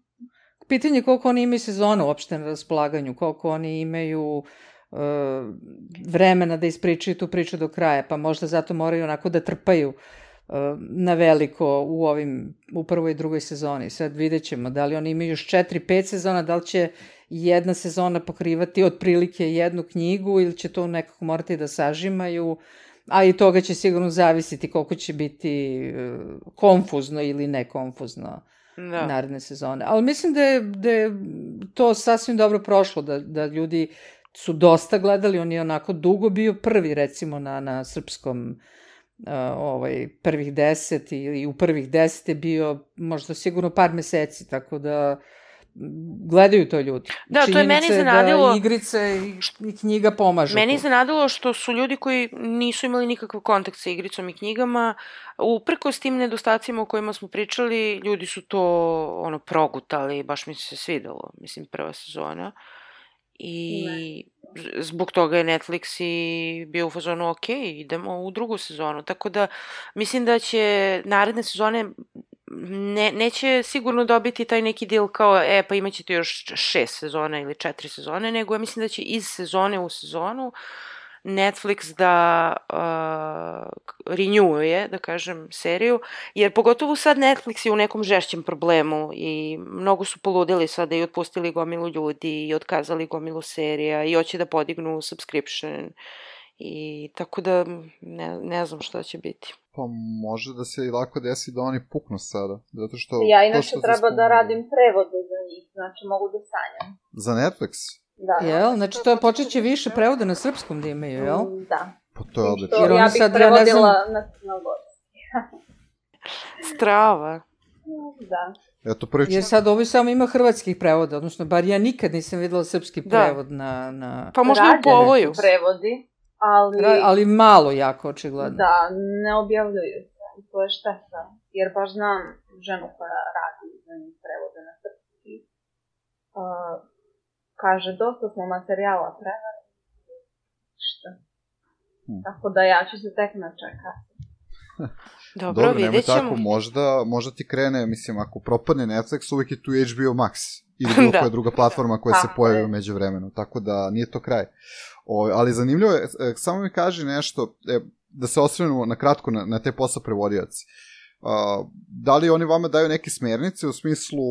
Speaker 3: Pitanje je koliko oni imaju sezonu uopšte na raspolaganju, koliko oni imaju e, vremena da ispričaju tu priču do kraja, pa možda zato moraju onako da trpaju e, na veliko u ovim, u prvoj i drugoj sezoni. Sad vidjet ćemo da li oni imaju još četiri, pet sezona, da li će jedna sezona pokrivati otprilike jednu knjigu ili će to nekako morati da sažimaju, a i toga će sigurno zavisiti koliko će biti e, konfuzno ili nekonfuzno
Speaker 1: Da.
Speaker 3: naredne sezone. Ali mislim da je, da je to sasvim dobro prošlo, da, da ljudi su dosta gledali, on je onako dugo bio prvi, recimo, na, na srpskom uh, ovaj, prvih deset ili u prvih deset je bio možda sigurno par meseci, tako da gledaju to ljudi.
Speaker 1: Da, to je meni
Speaker 3: Činjenica
Speaker 1: iznenadilo-
Speaker 3: da igrice i, i knjiga pomažu.
Speaker 1: Meni je
Speaker 3: tu.
Speaker 1: iznenadilo što su ljudi koji nisu imali nikakav kontakt sa igricom i knjigama, uprkos tim nedostacima o kojima smo pričali, ljudi su to ono progutali, baš mi se svidelo, mislim, prva sezona. I z- zbog toga je Netflix i bio u fazonu, ok, idemo u drugu sezonu. Tako da mislim da će naredne sezone ne, neće sigurno dobiti taj neki deal kao, e, pa imat ćete još šest sezona ili četiri sezone, nego ja mislim da će iz sezone u sezonu Netflix da uh, renewuje, da kažem, seriju, jer pogotovo sad Netflix je u nekom žešćem problemu i mnogo su poludeli sada i otpustili gomilu ljudi i otkazali gomilu serija i hoće da podignu subscription i tako da ne, ne znam šta će biti.
Speaker 4: Pa može da se i lako desi da oni puknu sada, zato što...
Speaker 5: Ja
Speaker 4: to
Speaker 5: inače
Speaker 4: što ti
Speaker 5: treba da
Speaker 4: spomenula-
Speaker 5: radim prevode za njih, znači mogu da sanjam.
Speaker 4: Za Netflix?
Speaker 5: Da.
Speaker 3: Jel? Znači to je počet će više prevoda na srpskom da imaju, jel?
Speaker 5: Mm, Da.
Speaker 4: Pa to je
Speaker 5: Što
Speaker 4: odlično.
Speaker 3: Jer oni
Speaker 5: ja bih
Speaker 3: sad, ja ne
Speaker 5: prevodila
Speaker 3: znam-
Speaker 5: na crnogorski.
Speaker 1: Strava.
Speaker 5: Da.
Speaker 4: Eto, prvi
Speaker 3: Jer sad ovo samo ima hrvatskih prevoda, odnosno bar ja nikad nisam videla srpski
Speaker 1: Da.
Speaker 3: prevod na... na...
Speaker 1: Pa možda u
Speaker 5: Rađene su
Speaker 1: povoju.
Speaker 5: prevodi, ali,
Speaker 3: Ra- ali malo jako, očigledno.
Speaker 5: da, ne objavljuju se. I to je šteta. Jer baš znam ženu koja radi za njih prevode na srpski. Uh, kaže, dosta smo materijala preveli. Šta?
Speaker 4: Hmm.
Speaker 5: Tako da ja ću se tek načekati.
Speaker 1: Dobro,
Speaker 4: Dobro, nemoj
Speaker 1: vidjet ćemo.
Speaker 4: tako, možda, možda ti krene, mislim, ako propadne Netflix, uvijek je tu H B O Max ili bilo
Speaker 1: Da.
Speaker 4: koja druga platforma koja se
Speaker 5: Tako
Speaker 4: pojavi
Speaker 5: je.
Speaker 4: u međuvremenu, tako da nije to kraj. O, ali zanimljivo je, e, samo mi kaži nešto, e, da se osvrnemo na kratko na, na te posao prevodioci. A, da li oni vama daju neke smernice u smislu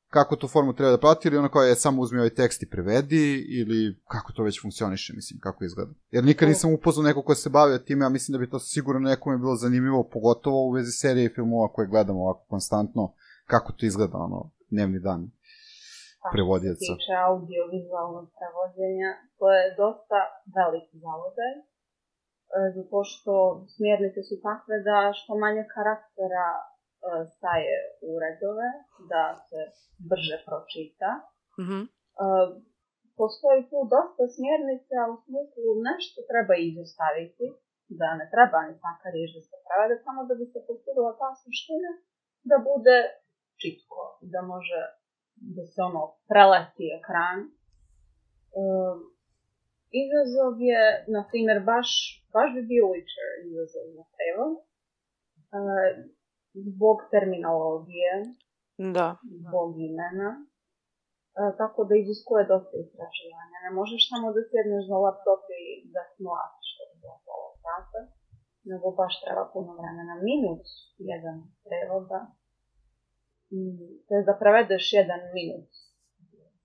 Speaker 4: kako tu formu treba da prati ili ono kao je samo uzmi ovaj tekst i prevedi ili kako to već funkcioniše, mislim, kako izgleda. Jer nikad nisam upoznao neko ko se bavio time, a mislim da bi to sigurno nekome bilo zanimljivo, pogotovo u vezi serije i filmova koje gledamo ovako konstantno, kako to izgleda, ono, dnevni dan prevodioca.
Speaker 5: Što se tiče audiovizualnog prevođenja, to je dosta veliki zalogaj, e, zato što smjernice su takve da što manje karaktera e, staje u redove, da se brže pročita.
Speaker 1: Mhm.
Speaker 5: E, postoji tu dosta smjernica u smislu nešto treba izostaviti, da ne treba ni svaka riječ da se prevede, samo da bi se postigla ta suština da bude čitko, da može da se ono preleti ekran. E, izazov je, na primjer, baš, baš bi bio Witcher izazov za prevod, e, zbog terminologije,
Speaker 1: Da.
Speaker 5: zbog imena, e, tako da iziskuje dosta istraživanja. Ne možeš samo da sjedneš za laptop i da smlatiš što je bilo pola sata, nego baš treba puno vremena. Minut jedan prevoda, to je da prevedeš jedan minut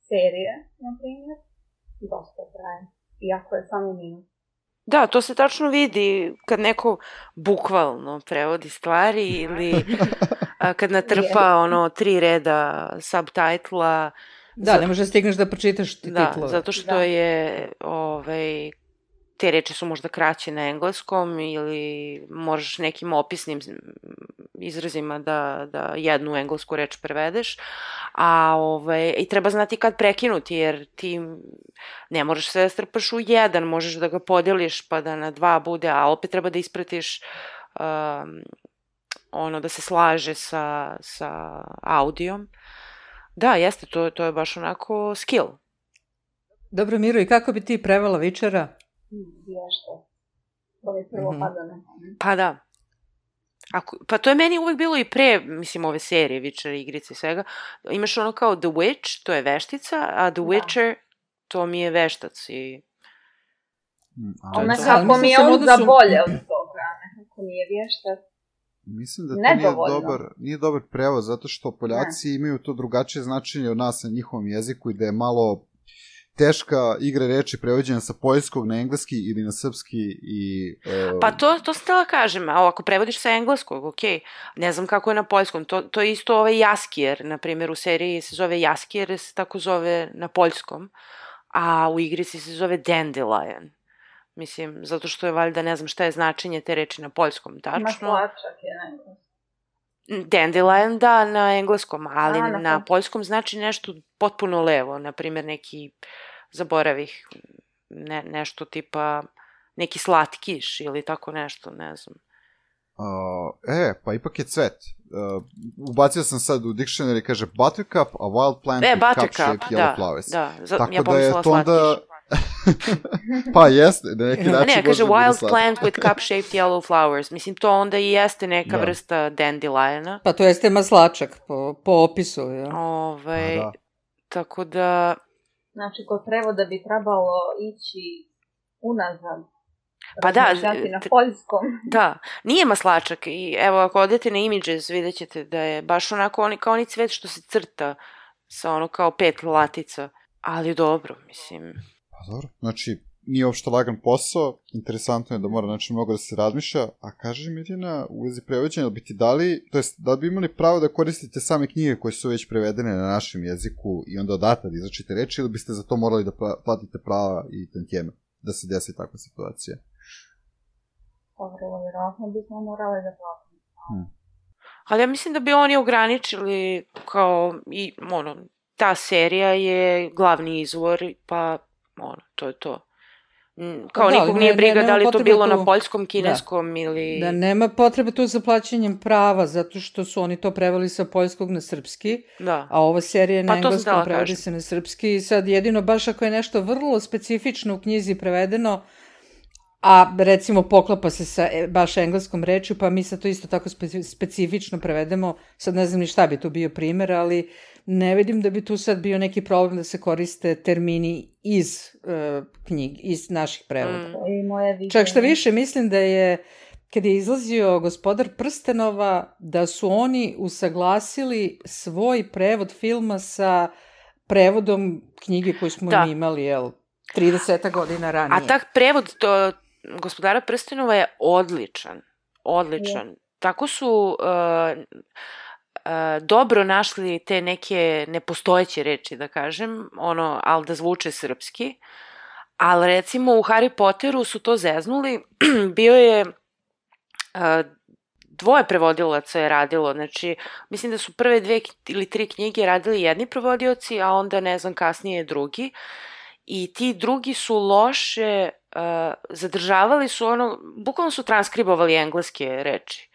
Speaker 5: serije, na primjer, dosta traje. Iako je samo minut.
Speaker 1: Da, to se tačno vidi kad neko bukvalno prevodi stvari ili a, kad natrpa ono tri reda subtitla.
Speaker 3: Da,
Speaker 1: Zato...
Speaker 3: ne možeš da stigneš da pročitaš
Speaker 1: da,
Speaker 3: titlove.
Speaker 1: Zato što
Speaker 5: da.
Speaker 1: je ovaj, te reči su možda kraće na engleskom ili možeš nekim opisnim izrazima da, da jednu englesku reč prevedeš, a ovaj, i treba znati kad prekinuti, jer ti ne možeš sve da strpaš u jedan, možeš da ga podeliš pa da na dva bude, a opet treba da ispratiš um, ono da se slaže sa, sa audijom. Da, jeste, to, to je baš onako skill.
Speaker 3: Dobro, Miro, i kako bi ti prevela Vičera?
Speaker 5: Vješto. To je prvo
Speaker 3: Mhm.
Speaker 5: pada na pamet.
Speaker 1: Pa da. Ako, pa to je meni uvek bilo i pre, mislim, ove serije, Witcher, igrice i svega. Imaš ono kao The Witch, to je veštica, a The
Speaker 5: Da.
Speaker 1: Witcher, to mi je veštac i...
Speaker 4: Mm,
Speaker 5: A
Speaker 4: ali
Speaker 5: nekako
Speaker 3: mislim
Speaker 5: mi je
Speaker 3: sam
Speaker 5: on
Speaker 3: odnosu-
Speaker 5: za bolje od toga. Nekako mi je vještac.
Speaker 4: mislim da to nije
Speaker 5: Nedovoljno.
Speaker 4: dobar, nije dobar prevod, zato što Poljaci imaju to drugačije značenje od nas na njihovom jeziku i da je malo teška igra reči prevođena sa poljskog na engleski ili na srpski i... Uh,
Speaker 1: Pa to, to sam htjela kažem, a ako prevodiš sa engleskog, okej, ne znam kako je na poljskom, to, to je isto ovaj Jaskier, na primjer u seriji se zove Jaskier, se tako zove na poljskom, a u igrici se zove Dandelion. Mislim, zato što je valjda, ne znam šta je značenje te reči na poljskom, tačno.
Speaker 5: Maslačak je nekako.
Speaker 1: Dandelion, da, na engleskom, ali
Speaker 5: A,
Speaker 1: na,
Speaker 5: na
Speaker 1: na
Speaker 5: poljskom.
Speaker 1: poljskom znači nešto potpuno levo, na primjer neki, zaboravih, ne, nešto tipa, neki slatkiš ili tako nešto, ne znam.
Speaker 4: Uh, e, pa ipak je cvet. Uh, ubacio sam sad u dictionary, kaže buttercup, a wild plant
Speaker 1: E,
Speaker 4: with
Speaker 1: buttercup,
Speaker 4: cup-shaped yellow
Speaker 1: da,
Speaker 4: flowers.
Speaker 1: da, za,
Speaker 4: Tako
Speaker 1: ja
Speaker 4: da je
Speaker 1: pomislila
Speaker 4: to onda...
Speaker 1: slatkiš.
Speaker 4: Pa jeste, na neki
Speaker 1: A
Speaker 4: način
Speaker 1: ne, kaže
Speaker 4: može da bude
Speaker 1: wild
Speaker 4: slatko.
Speaker 1: plant with cup-shaped yellow flowers. Mislim, to onda i jeste neka
Speaker 4: Da.
Speaker 1: vrsta dandeliona.
Speaker 3: Pa to jeste maslačak po, po opisu, ja.
Speaker 1: Ovaj,
Speaker 4: A, da.
Speaker 1: tako da,
Speaker 5: Znači, kod prevoda bi trebalo ići unazad.
Speaker 1: Pa da,
Speaker 5: razmišljati na
Speaker 1: t-
Speaker 5: poljskom.
Speaker 1: da, nije maslačak i evo ako odete na Images vidjet ćete da je baš onako oni, kao oni cvet što se crta sa ono kao pet latica, ali dobro, mislim.
Speaker 4: Pa dobro, znači, nije uopšte lagan posao, interesantno je da mora znači mnogo da se razmišlja, a kaže Mirjana, u vezi prevođenja, da bi ti dali, to jest, da bi imali pravo da koristite same knjige koje su već prevedene na našem jeziku i onda odatak da izračite reči, ili biste za to morali da pra- platite prava i tantijeme, da se desi takva situacija?
Speaker 5: Dobro, vjerojatno bismo morali da platimo.
Speaker 1: Ali ja mislim da bi oni ograničili kao i ono, ta serija je glavni izvor, pa ono, to je to. Mm, Kao
Speaker 3: Pa da,
Speaker 1: nikog
Speaker 3: ali
Speaker 1: nije
Speaker 3: ne-
Speaker 1: briga
Speaker 3: ne-
Speaker 1: da li
Speaker 3: nema
Speaker 1: to
Speaker 3: potrebe
Speaker 1: bilo
Speaker 3: tu-
Speaker 1: na poljskom, kineskom ili...
Speaker 3: Da nema potrebe tu za plaćanjem prava, zato što su oni to preveli sa poljskog na srpski,
Speaker 1: Da.
Speaker 3: a ova serija je na
Speaker 1: Pa to sam
Speaker 3: engleskom
Speaker 1: htela
Speaker 3: prevodi
Speaker 1: kažem.
Speaker 3: se na srpski i sad jedino baš ako je nešto vrlo specifično u knjizi prevedeno, a recimo poklapa se sa e, baš engleskom rečju, pa mi sad to isto tako speci- specifično prevedemo, sad ne znam ni šta bi tu bio primjer, ali ne vidim da bi tu sad bio neki problem da se koriste termini iz uh, knjig, iz naših prevoda.
Speaker 1: Mm.
Speaker 5: To je i moje viđenje.
Speaker 3: Čak što više, mislim da je, kad je izlazio Gospodar prstenova, da su oni usaglasili svoj prevod filma sa prevodom knjige koju smo
Speaker 1: Da.
Speaker 3: mi imali, jel, trideset godina ranije.
Speaker 1: A tak prevod to, Gospodara prstenova je odličan. Odličan. Tako su uh, uh, dobro našli te neke nepostojeće reči, da kažem, ono, ali da zvuče srpski. Ali recimo u Harry Potteru su to zeznuli. Bio je uh, dvoje prevodilaca je radilo, znači mislim da su prve dve k- ili tri knjige radili jedni prevodioci, a onda ne znam kasnije drugi. I ti drugi su loše uh, zadržavali su ono, bukvalno su transkribovali engleske reči.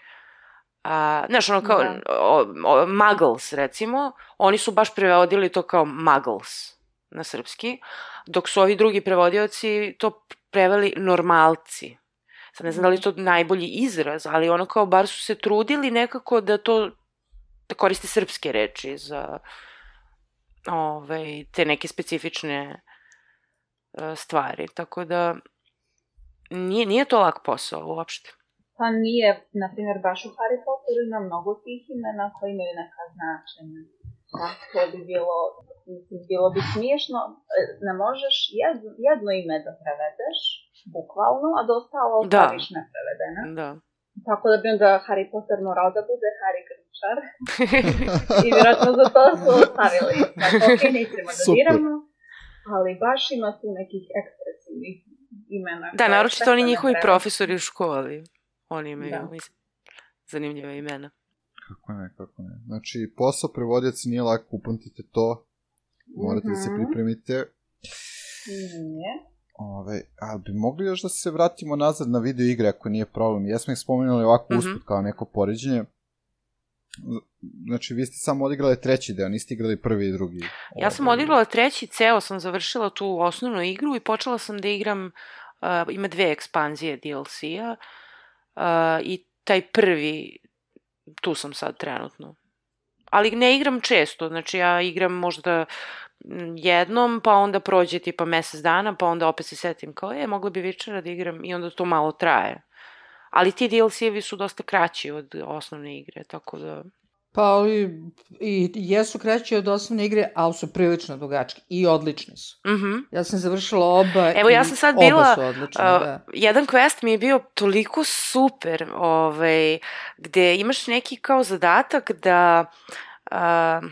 Speaker 1: A, znaš, ono kao
Speaker 5: Da.
Speaker 1: o, o, muggles, recimo, oni su baš prevodili to kao muggles na srpski, dok su ovi drugi prevodioci to preveli normalci. Sad ne znam da li je to najbolji izraz, ali ono kao bar su se trudili nekako da to, da koriste srpske reči za ovaj, te neke specifične e, stvari. Tako da nije, nije to lak posao uopšte.
Speaker 5: Pa nije, na primjer, baš u Harry Potteru ima mnogo tih imena koji imaju neka značenja. Da, to bi bilo mislim, bilo bi smiješno, ne možeš jedno, jedno ime da prevedeš, bukvalno, a da ostalo ostaviš neprevedene.
Speaker 1: Da.
Speaker 5: Tako da bi onda Harry Potter morao da bude Harry Grinčar. I vjerojatno za to su ostavili. Tako, ok, nećemo da diramo, ali baš ima tu nekih ekspresivnih imena.
Speaker 1: Da, naročito oni njihovi profesori u školi. Oni imaju, mislim, zanimljiva imena.
Speaker 4: Kako ne, kako ne. Znači, posao prevodjaca nije lako, upamtite to. Morate mm-hmm. da se pripremite.
Speaker 5: Nije.
Speaker 4: Ove, ali bi mogli još da se vratimo nazad na video igre, ako nije problem. Jesmo ih spomenuli ovako mm-hmm. usput kao neko poređenje. Znači, vi ste samo odigrali treći deo, niste igrali prvi i drugi.
Speaker 1: Ja sam odigrala treći, ceo sam završila tu osnovnu igru i počela sam da igram, uh, ima dve ekspanzije D L C-a uh, i taj prvi, tu sam sad trenutno. Ali ne igram često, znači ja igram možda jednom, pa onda prođe tipa mesec dana, pa onda opet se setim kao, je, mogla bi večera da igram i onda to malo traje. Ali ti D L C-evi su dosta kraći od osnovne igre, tako da...
Speaker 3: Pa ali i jesu kraći od osnovne igre, ali su prilično dugački i odlični su.
Speaker 1: Mm-hmm.
Speaker 3: Ja sam završila oba.
Speaker 1: Evo, ja sam sad bila,
Speaker 3: oba su odlični, uh, da.
Speaker 1: Jedan quest mi je bio toliko super, ovaj, gde imaš neki kao zadatak da... Uh,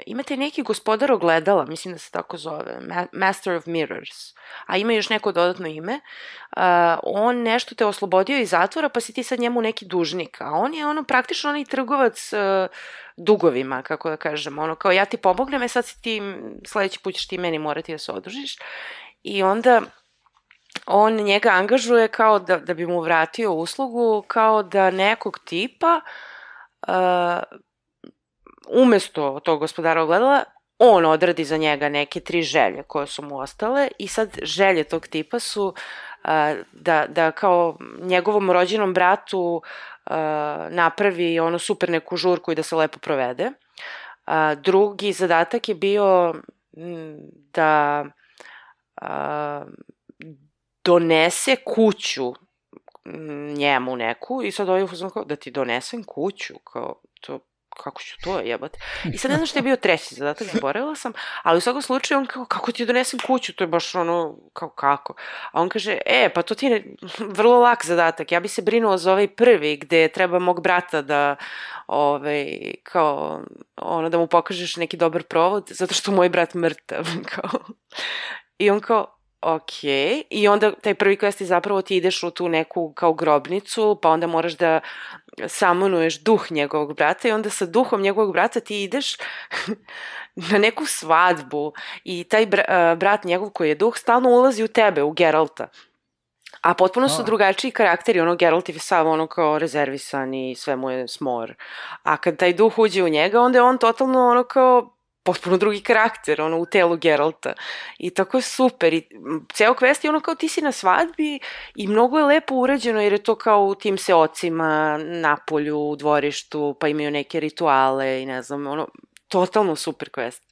Speaker 1: imate neki gospodar ogledala, mislim da se tako zove, Master of Mirrors, a ima još neko dodatno ime, uh, on nešto te oslobodio iz zatvora, pa si ti sad njemu neki dužnik, a on je ono praktično onaj trgovac uh, dugovima, kako da kažem, ono kao ja ti pomognem, e sad si ti, sledeći put ćeš ti meni morati da se odužiš, i onda on njega angažuje kao da, da bi mu vratio uslugu, kao da nekog tipa uh, umesto tog gospodara ogledala, on odradi za njega neke tri želje koje su mu ostale i sad želje tog tipa su uh, da, da kao njegovom rođenom bratu uh, napravi ono super neku žurku i da se lepo provede. Uh, drugi zadatak je bio m, da uh, donese kuću njemu neku i sad ovaj uzmano kao da ti donesem kuću, kao to kako ću to jebati. I sad ne znam što je bio treći zadatak, zaboravila sam, ali u svakom slučaju on kao, kako ti donesem kuću, to je baš ono, kao kako. A on kaže, e, pa to ti je vrlo lak zadatak, ja bi se brinuo za ovaj prvi, gde treba mog brata da, ovaj, kao, ono, da mu pokažeš neki dobar provod, zato što moj brat mrtav, kao. I on kao, ok, i onda taj prvi quest je zapravo ti ideš u tu neku kao grobnicu, pa onda moraš da samonuješ duh njegovog brata i onda sa duhom njegovog brata ti ideš na neku svadbu i taj br- brat njegov koji je duh stalno ulazi u tebe, u Geralta. A potpuno su drugačiji karakteri, ono Geralt je sav ono kao rezervisan i sve mu je smor. A kad taj duh uđe u njega, onda je on totalno ono kao potpuno drugi karakter, ono, u telu Geralta. I tako je super. I ceo quest je ono kao ti si na svadbi i mnogo je lepo urađeno jer je to kao u tim seocima, na polju, u dvorištu, pa imaju neke rituale i ne znam, ono, totalno super quest.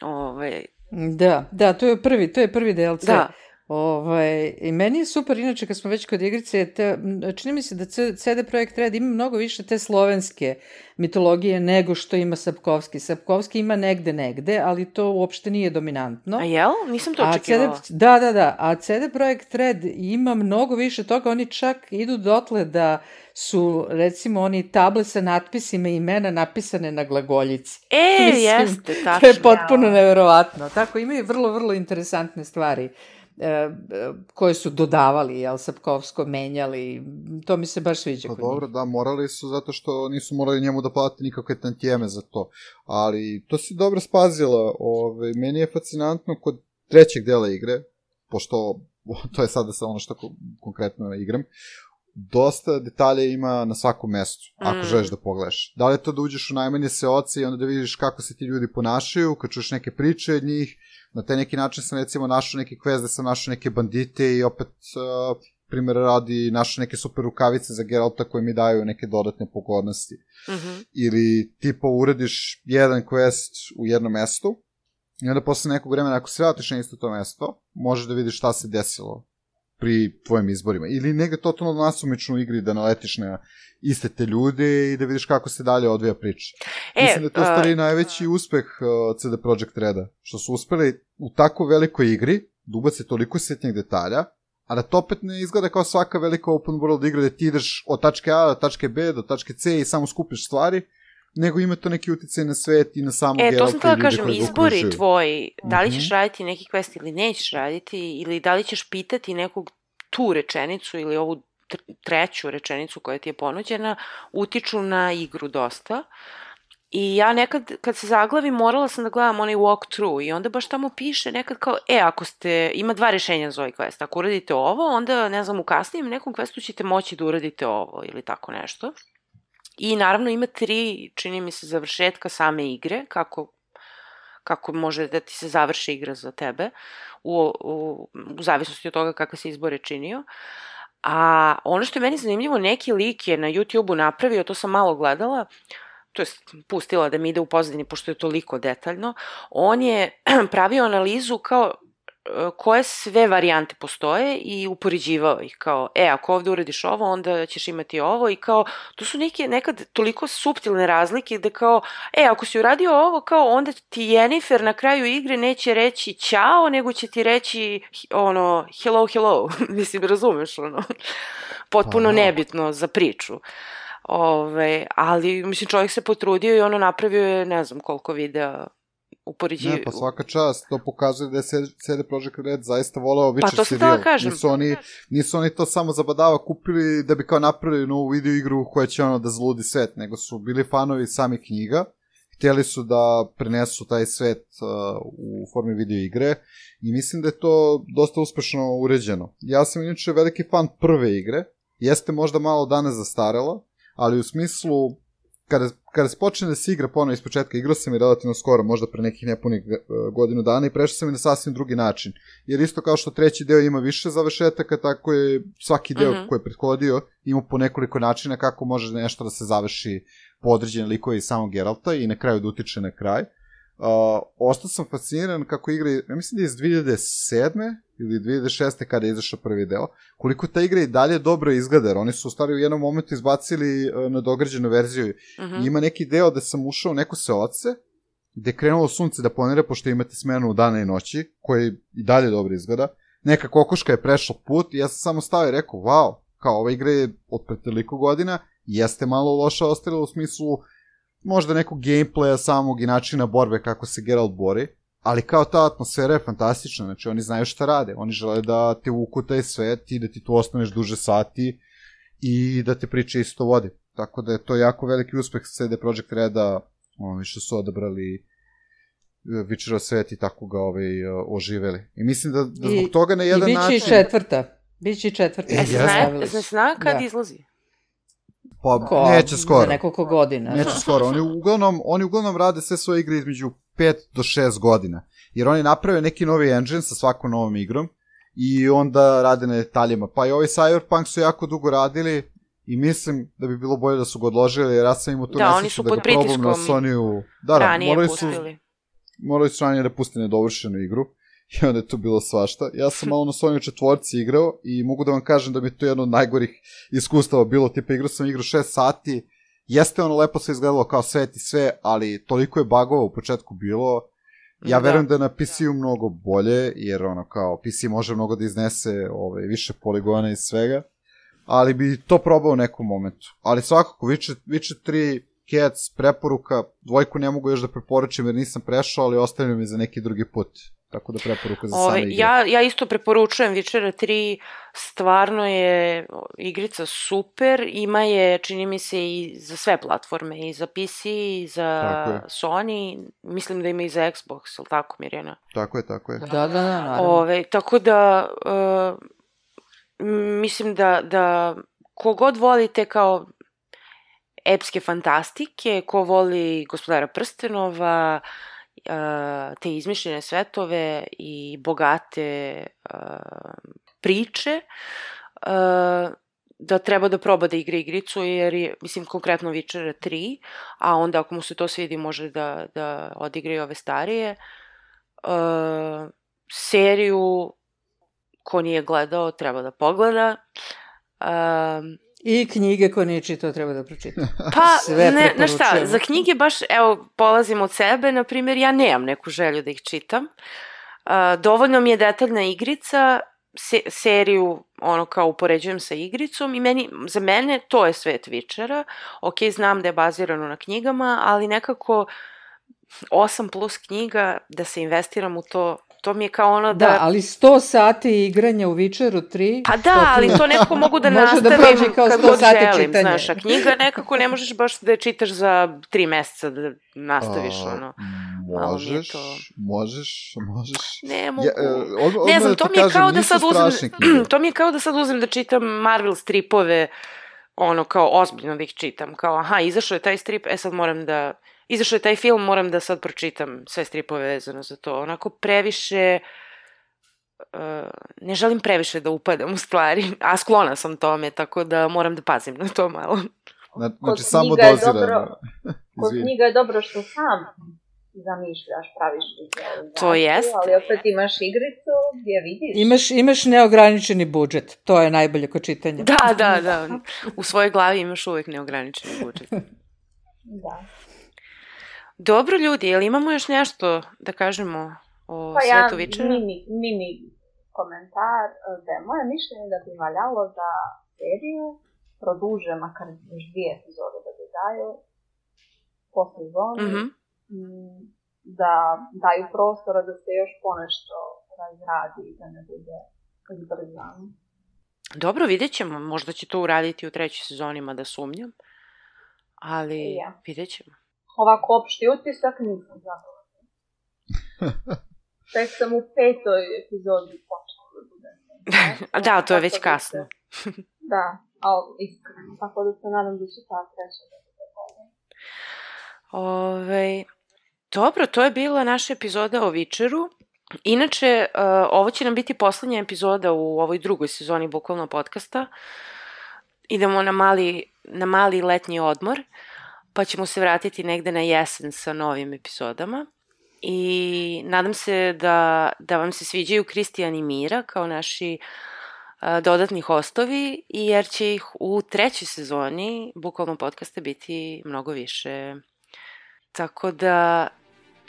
Speaker 1: Ove...
Speaker 3: Da, da, to je prvi, to je prvi D L C.
Speaker 1: Da.
Speaker 3: Ovaj, i meni je super, inače kad smo već kod igrice, te, čini mi se da C D Projekt Red ima mnogo više te slovenske mitologije nego što ima Sapkovski. Sapkovski ima negde negde, ali to uopšte nije dominantno.
Speaker 1: A jel? Nisam to očekivala.
Speaker 3: Da, da, da. A C D Projekt Red ima mnogo više toga. Oni čak idu dotle da su, recimo, oni table sa natpisima i imena napisane na glagoljici.
Speaker 1: E,
Speaker 3: Mislim,
Speaker 1: jeste, tačno.
Speaker 3: To je potpuno neverovatno. Tako, imaju vrlo, vrlo interesantne stvari koje su dodavali, jel, Sapkovsko menjali, to mi se baš sviđa.
Speaker 4: Pa dobro, da, morali su zato što nisu morali njemu da plati nikakve tantijeme za to, ali to si dobro spazila. Ove, meni je fascinantno kod trećeg dela igre, pošto to je sada sa ono što konkretno igram, dosta detalja ima na svakom mestu, ako mm. želiš da pogledaš. Da li je to da uđeš u najmanje seoce i onda da vidiš kako se ti ljudi ponašaju, kad čuješ neke priče od njih. Na taj neki način sam recimo našao neki quest da sam našao neke bandite i opet, uh, primjer radi, našao neke super rukavice za Geralta koje mi daju neke dodatne pogodnosti. Mm-hmm. Ili tipa uradiš jedan quest u jednom mestu i onda posle nekog vremena ako se vratiš na isto to mesto, možeš da vidiš šta se desilo pri tvojim izborima. Ili negde totalno nasumično u igri da naletiš na iste te ljude i da vidiš kako se dalje odvija priča. E, Mislim da je to uh, stvari najveći uspeh uh, C D Projekt Reda, što su uspeli u tako velikoj igri da ubace toliko sitnih detalja, a da to opet ne izgleda kao svaka velika open world igra da ti ideš od tačke A do tačke B do tačke C i samo skupiš stvari, nego ima to neki uticaj na svet i na samu Geralta i ljude koji ga okružuju. E, to sam htjela kažem, izbori
Speaker 1: tvoji, da li ćeš raditi neki quest ili nećeš raditi, ili da li ćeš pitati nekog tu rečenicu ili ovu treću rečenicu koja ti je ponuđena, utiču na igru dosta. I ja nekad, kad se zaglavim, morala sam da gledam onaj walkthrough i onda baš tamo piše nekad kao, e, ako ste, ima dva rešenja za ovaj quest, ako uradite ovo, onda, ne znam, u kasnijem nekom questu ćete moći da uradite ovo ili tako nešto. I naravno ima tri, čini mi se, završetka same igre, kako, kako može da ti se završi igra za tebe, u, u, u zavisnosti od toga kakve se izbore činio. A ono što je meni zanimljivo, neki lik je na YouTube-u napravio, to sam malo gledala, to je pustila da mi ide u pozadini, pošto je toliko detaljno, on je pravio analizu kao koje sve varijante postoje i upoređivao ih, kao, e, ako ovde uradiš ovo, onda ćeš imati ovo i kao, to su neke, nekad toliko suptilne razlike da kao, e, ako si uradio ovo, kao, onda ti Jennifer na kraju igre neće reći ćao, nego će ti reći, ono, hello, hello, mislim, razumeš, ono, potpuno nebitno za priču. Ove, ali, mislim, čovjek se potrudio i ono napravio je, ne znam koliko videa upoređi...
Speaker 4: Ne, pa svaka čast, to pokazuje da je C D Projekt Red zaista voleo Witcher
Speaker 1: pa to
Speaker 4: serijal.
Speaker 1: Kažem.
Speaker 4: Nisu oni, nisu oni to samo zabadava kupili da bi kao napravili novu video igru koja će ono da zludi svet, nego su bili fanovi samih knjiga, htjeli su da prenesu taj svet uh, u formi video igre i mislim da je to dosta uspešno uređeno. Ja sam inače veliki fan prve igre, jeste možda malo danas zastarela, ali u smislu kada, kada se počne da se igra ponovno iz početka, igrao sam i relativno skoro, možda pre nekih nepunih godinu dana i prešao sam i na sasvim drugi način. Jer isto kao što treći deo ima više završetaka, tako je svaki deo uh-huh. koji je prethodio ima po nekoliko načina kako može nešto da se završi po određene likove iz samog Geralta i na kraju da utiče na kraj. Uh, ostao sam fasciniran kako igra, ja mislim da je iz dve hiljade sedme ili dve hiljade šeste kada je izašao prvi deo, koliko ta igra i dalje dobro izgleda, jer oni su u stvari u jednom momentu izbacili uh, na dograđenu verziju. Uh-huh. I ima neki deo da sam ušao u neko seoce, gde je krenulo sunce da planira, pošto imate smenu dana i noći, koji i dalje dobro izgleda. Neka kokoška je prešla put i ja sam samo stao i rekao, wow, kao ova igra je od pre toliko godina, jeste malo loša ostavila u smislu možda nekog gameplaya samog i načina borbe kako se Geralt bori, ali kao ta atmosfera je fantastična, znači oni znaju šta rade, oni žele da te uvuku taj svet i da ti tu ostaneš duže sati i da te priče isto vode. Tako da je to jako veliki uspeh C D Projekt Reda, oni što su odabrali Witcherov svet i tako ga ovaj, oživeli. I mislim da, da zbog toga na jedan način...
Speaker 3: I biće i četvrta. Biće i četvrta.
Speaker 1: E, zna, zna, zna kad da. izlazi?
Speaker 4: Pa, Ko, neće skoro.
Speaker 3: Za nekoliko godina.
Speaker 4: Neće skoro. Oni uglavnom, oni uglavnom rade sve svoje igre između pet do šest godina. Jer oni naprave neki novi engine sa svakom novom igrom i onda rade na detaljima. Pa i ovaj Cyberpunk su jako dugo radili i mislim da bi bilo bolje da su ga odložili, jer ja sam imao tu
Speaker 1: da,
Speaker 4: nesreću da ga probam na Sonyu. Da, da, morali su, morali su ranije da puste nedovršenu igru. I onda je tu bilo svašta. Ja sam malo na Sonyu četvorci igrao i mogu da vam kažem da mi je to jedno od najgorih iskustava bilo. Tipa igrao sam igru šest sati, jeste ono lepo sve izgledalo kao svet i sve, ali toliko je bugova u početku bilo. Ja da. verujem da je na P C-u mnogo bolje, jer ono kao P C može mnogo da iznese ove, više poligona i svega, ali bi to probao u nekom momentu. Ali svakako, Witcher, Witcher tri, Cats, preporuka, dvojku ne mogu još da preporučim jer nisam prešao, ali ostavljam mi za neki drugi put. Tako da preporuka za same igre.
Speaker 1: Ja, ja isto preporučujem Witchera tri, stvarno je igrica super, ima je, čini mi se, i za sve platforme, i za P C, i za Sony, mislim da ima i za Xbox, ili tako, Mirjana?
Speaker 4: Tako je, tako je.
Speaker 3: Da, da, da, naravno.
Speaker 1: Ove, tako da, uh, mislim da, da kogod volite kao epske fantastike, ko voli Gospodara prstenova, te izmišljene svetove i bogate uh, priče, uh, da treba da proba da igra igricu, jer je, mislim, konkretno Witcher tri, a onda ako mu se to svidi može da, da odigra i ove starije. Uh, seriju ko nije gledao, treba da pogleda. Um,
Speaker 3: I knjige koje nije čitao treba da pročita.
Speaker 1: Pa,
Speaker 3: Sve
Speaker 1: ne, znaš šta,
Speaker 3: preporučujemo.
Speaker 1: za knjige baš, evo, polazim od sebe, na primjer, ja nemam neku želju da ih čitam. Uh, dovoljno mi je detaljna igrica, se, seriju, ono, kao upoređujem sa igricom i meni, za mene to je svet Witchera. Ok, znam da je bazirano na knjigama, ali nekako osam plus knjiga, da se investiram u to, to mi je kao ono da...
Speaker 3: Da, ali sto sati igranja u Witcheru tri...
Speaker 1: Pa da, ali to nekako mogu da nastavim da kad god želim, čitanja. Znaš, a knjiga nekako ne možeš baš da je čitaš za tri meseca da nastaviš, a, ono.
Speaker 4: Možeš, to... možeš, možeš.
Speaker 1: Ne mogu.
Speaker 4: Ja, od, od
Speaker 1: ne znam, to mi je
Speaker 4: kažem,
Speaker 1: kao da sad uzem,
Speaker 4: knjige.
Speaker 1: to mi je kao da sad uzem da čitam Marvel stripove, ono, kao ozbiljno da ih čitam, kao, aha, izašao je taj strip, e sad moram da... Izašao je taj film, moram da sad pročitam sve stripove vezano za to. Onako previše... Uh, ne želim previše da upadam u stvari, a sklona sam tome, tako da moram da pazim na to malo.
Speaker 4: Znači, samo dozirano.
Speaker 5: Kod knjiga je dobro što sam zamišljaš, praviš vizualizaciju,
Speaker 1: to jest.
Speaker 5: Ali opet imaš igricu gdje vidiš.
Speaker 3: Imaš, imaš neograničeni budžet, to je najbolje kod čitanja.
Speaker 1: Da, da, da. U svojoj glavi imaš uvijek neograničeni budžet.
Speaker 5: Da.
Speaker 1: Dobro, ljudi, jel imamo još nešto da kažemo o
Speaker 5: pa
Speaker 1: svetu
Speaker 5: ja,
Speaker 1: Witchera?
Speaker 5: mini, mini komentar, da je moje mišljenje da bi valjalo da seriju produže makar još dvije epizode da bi daju po sezoni,
Speaker 1: mm-hmm.
Speaker 5: da daju prostora da se još ponešto razradi i da ne bude izbrzano.
Speaker 1: Dobro, vidjet ćemo. Možda će to uraditi u trećoj sezoni, mada sumnjam. Ali ja. Vidjet ćemo.
Speaker 5: Ovako opšti utisak nisam zadovoljna. Tek sam u petoj epizodi počela da budem.
Speaker 1: Da, to je već kasno.
Speaker 5: Da, ali iskreno. Tako da se nadam da će ta treća da bude bolje.
Speaker 1: Ove, dobro, to je bila naša epizoda o Witcheru. Inače, uh, ovo će nam biti poslednja epizoda u ovoj drugoj sezoni bukvalno podcasta. Idemo na mali, na mali letnji odmor, pa ćemo se vratiti negde na jesen sa novim epizodama. I nadam se da, da vam se sviđaju Kristijan i Mira kao naši uh, dodatni hostovi, jer će ih u trećoj sezoni bukvalno podcasta biti mnogo više. Tako da,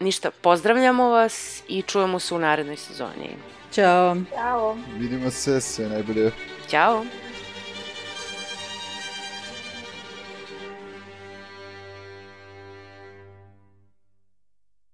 Speaker 1: ništa, pozdravljamo vas i čujemo se u narednoj sezoni.
Speaker 3: Ćao.
Speaker 5: Ćao.
Speaker 4: Vidimo se, sve najbolje.
Speaker 1: Ćao.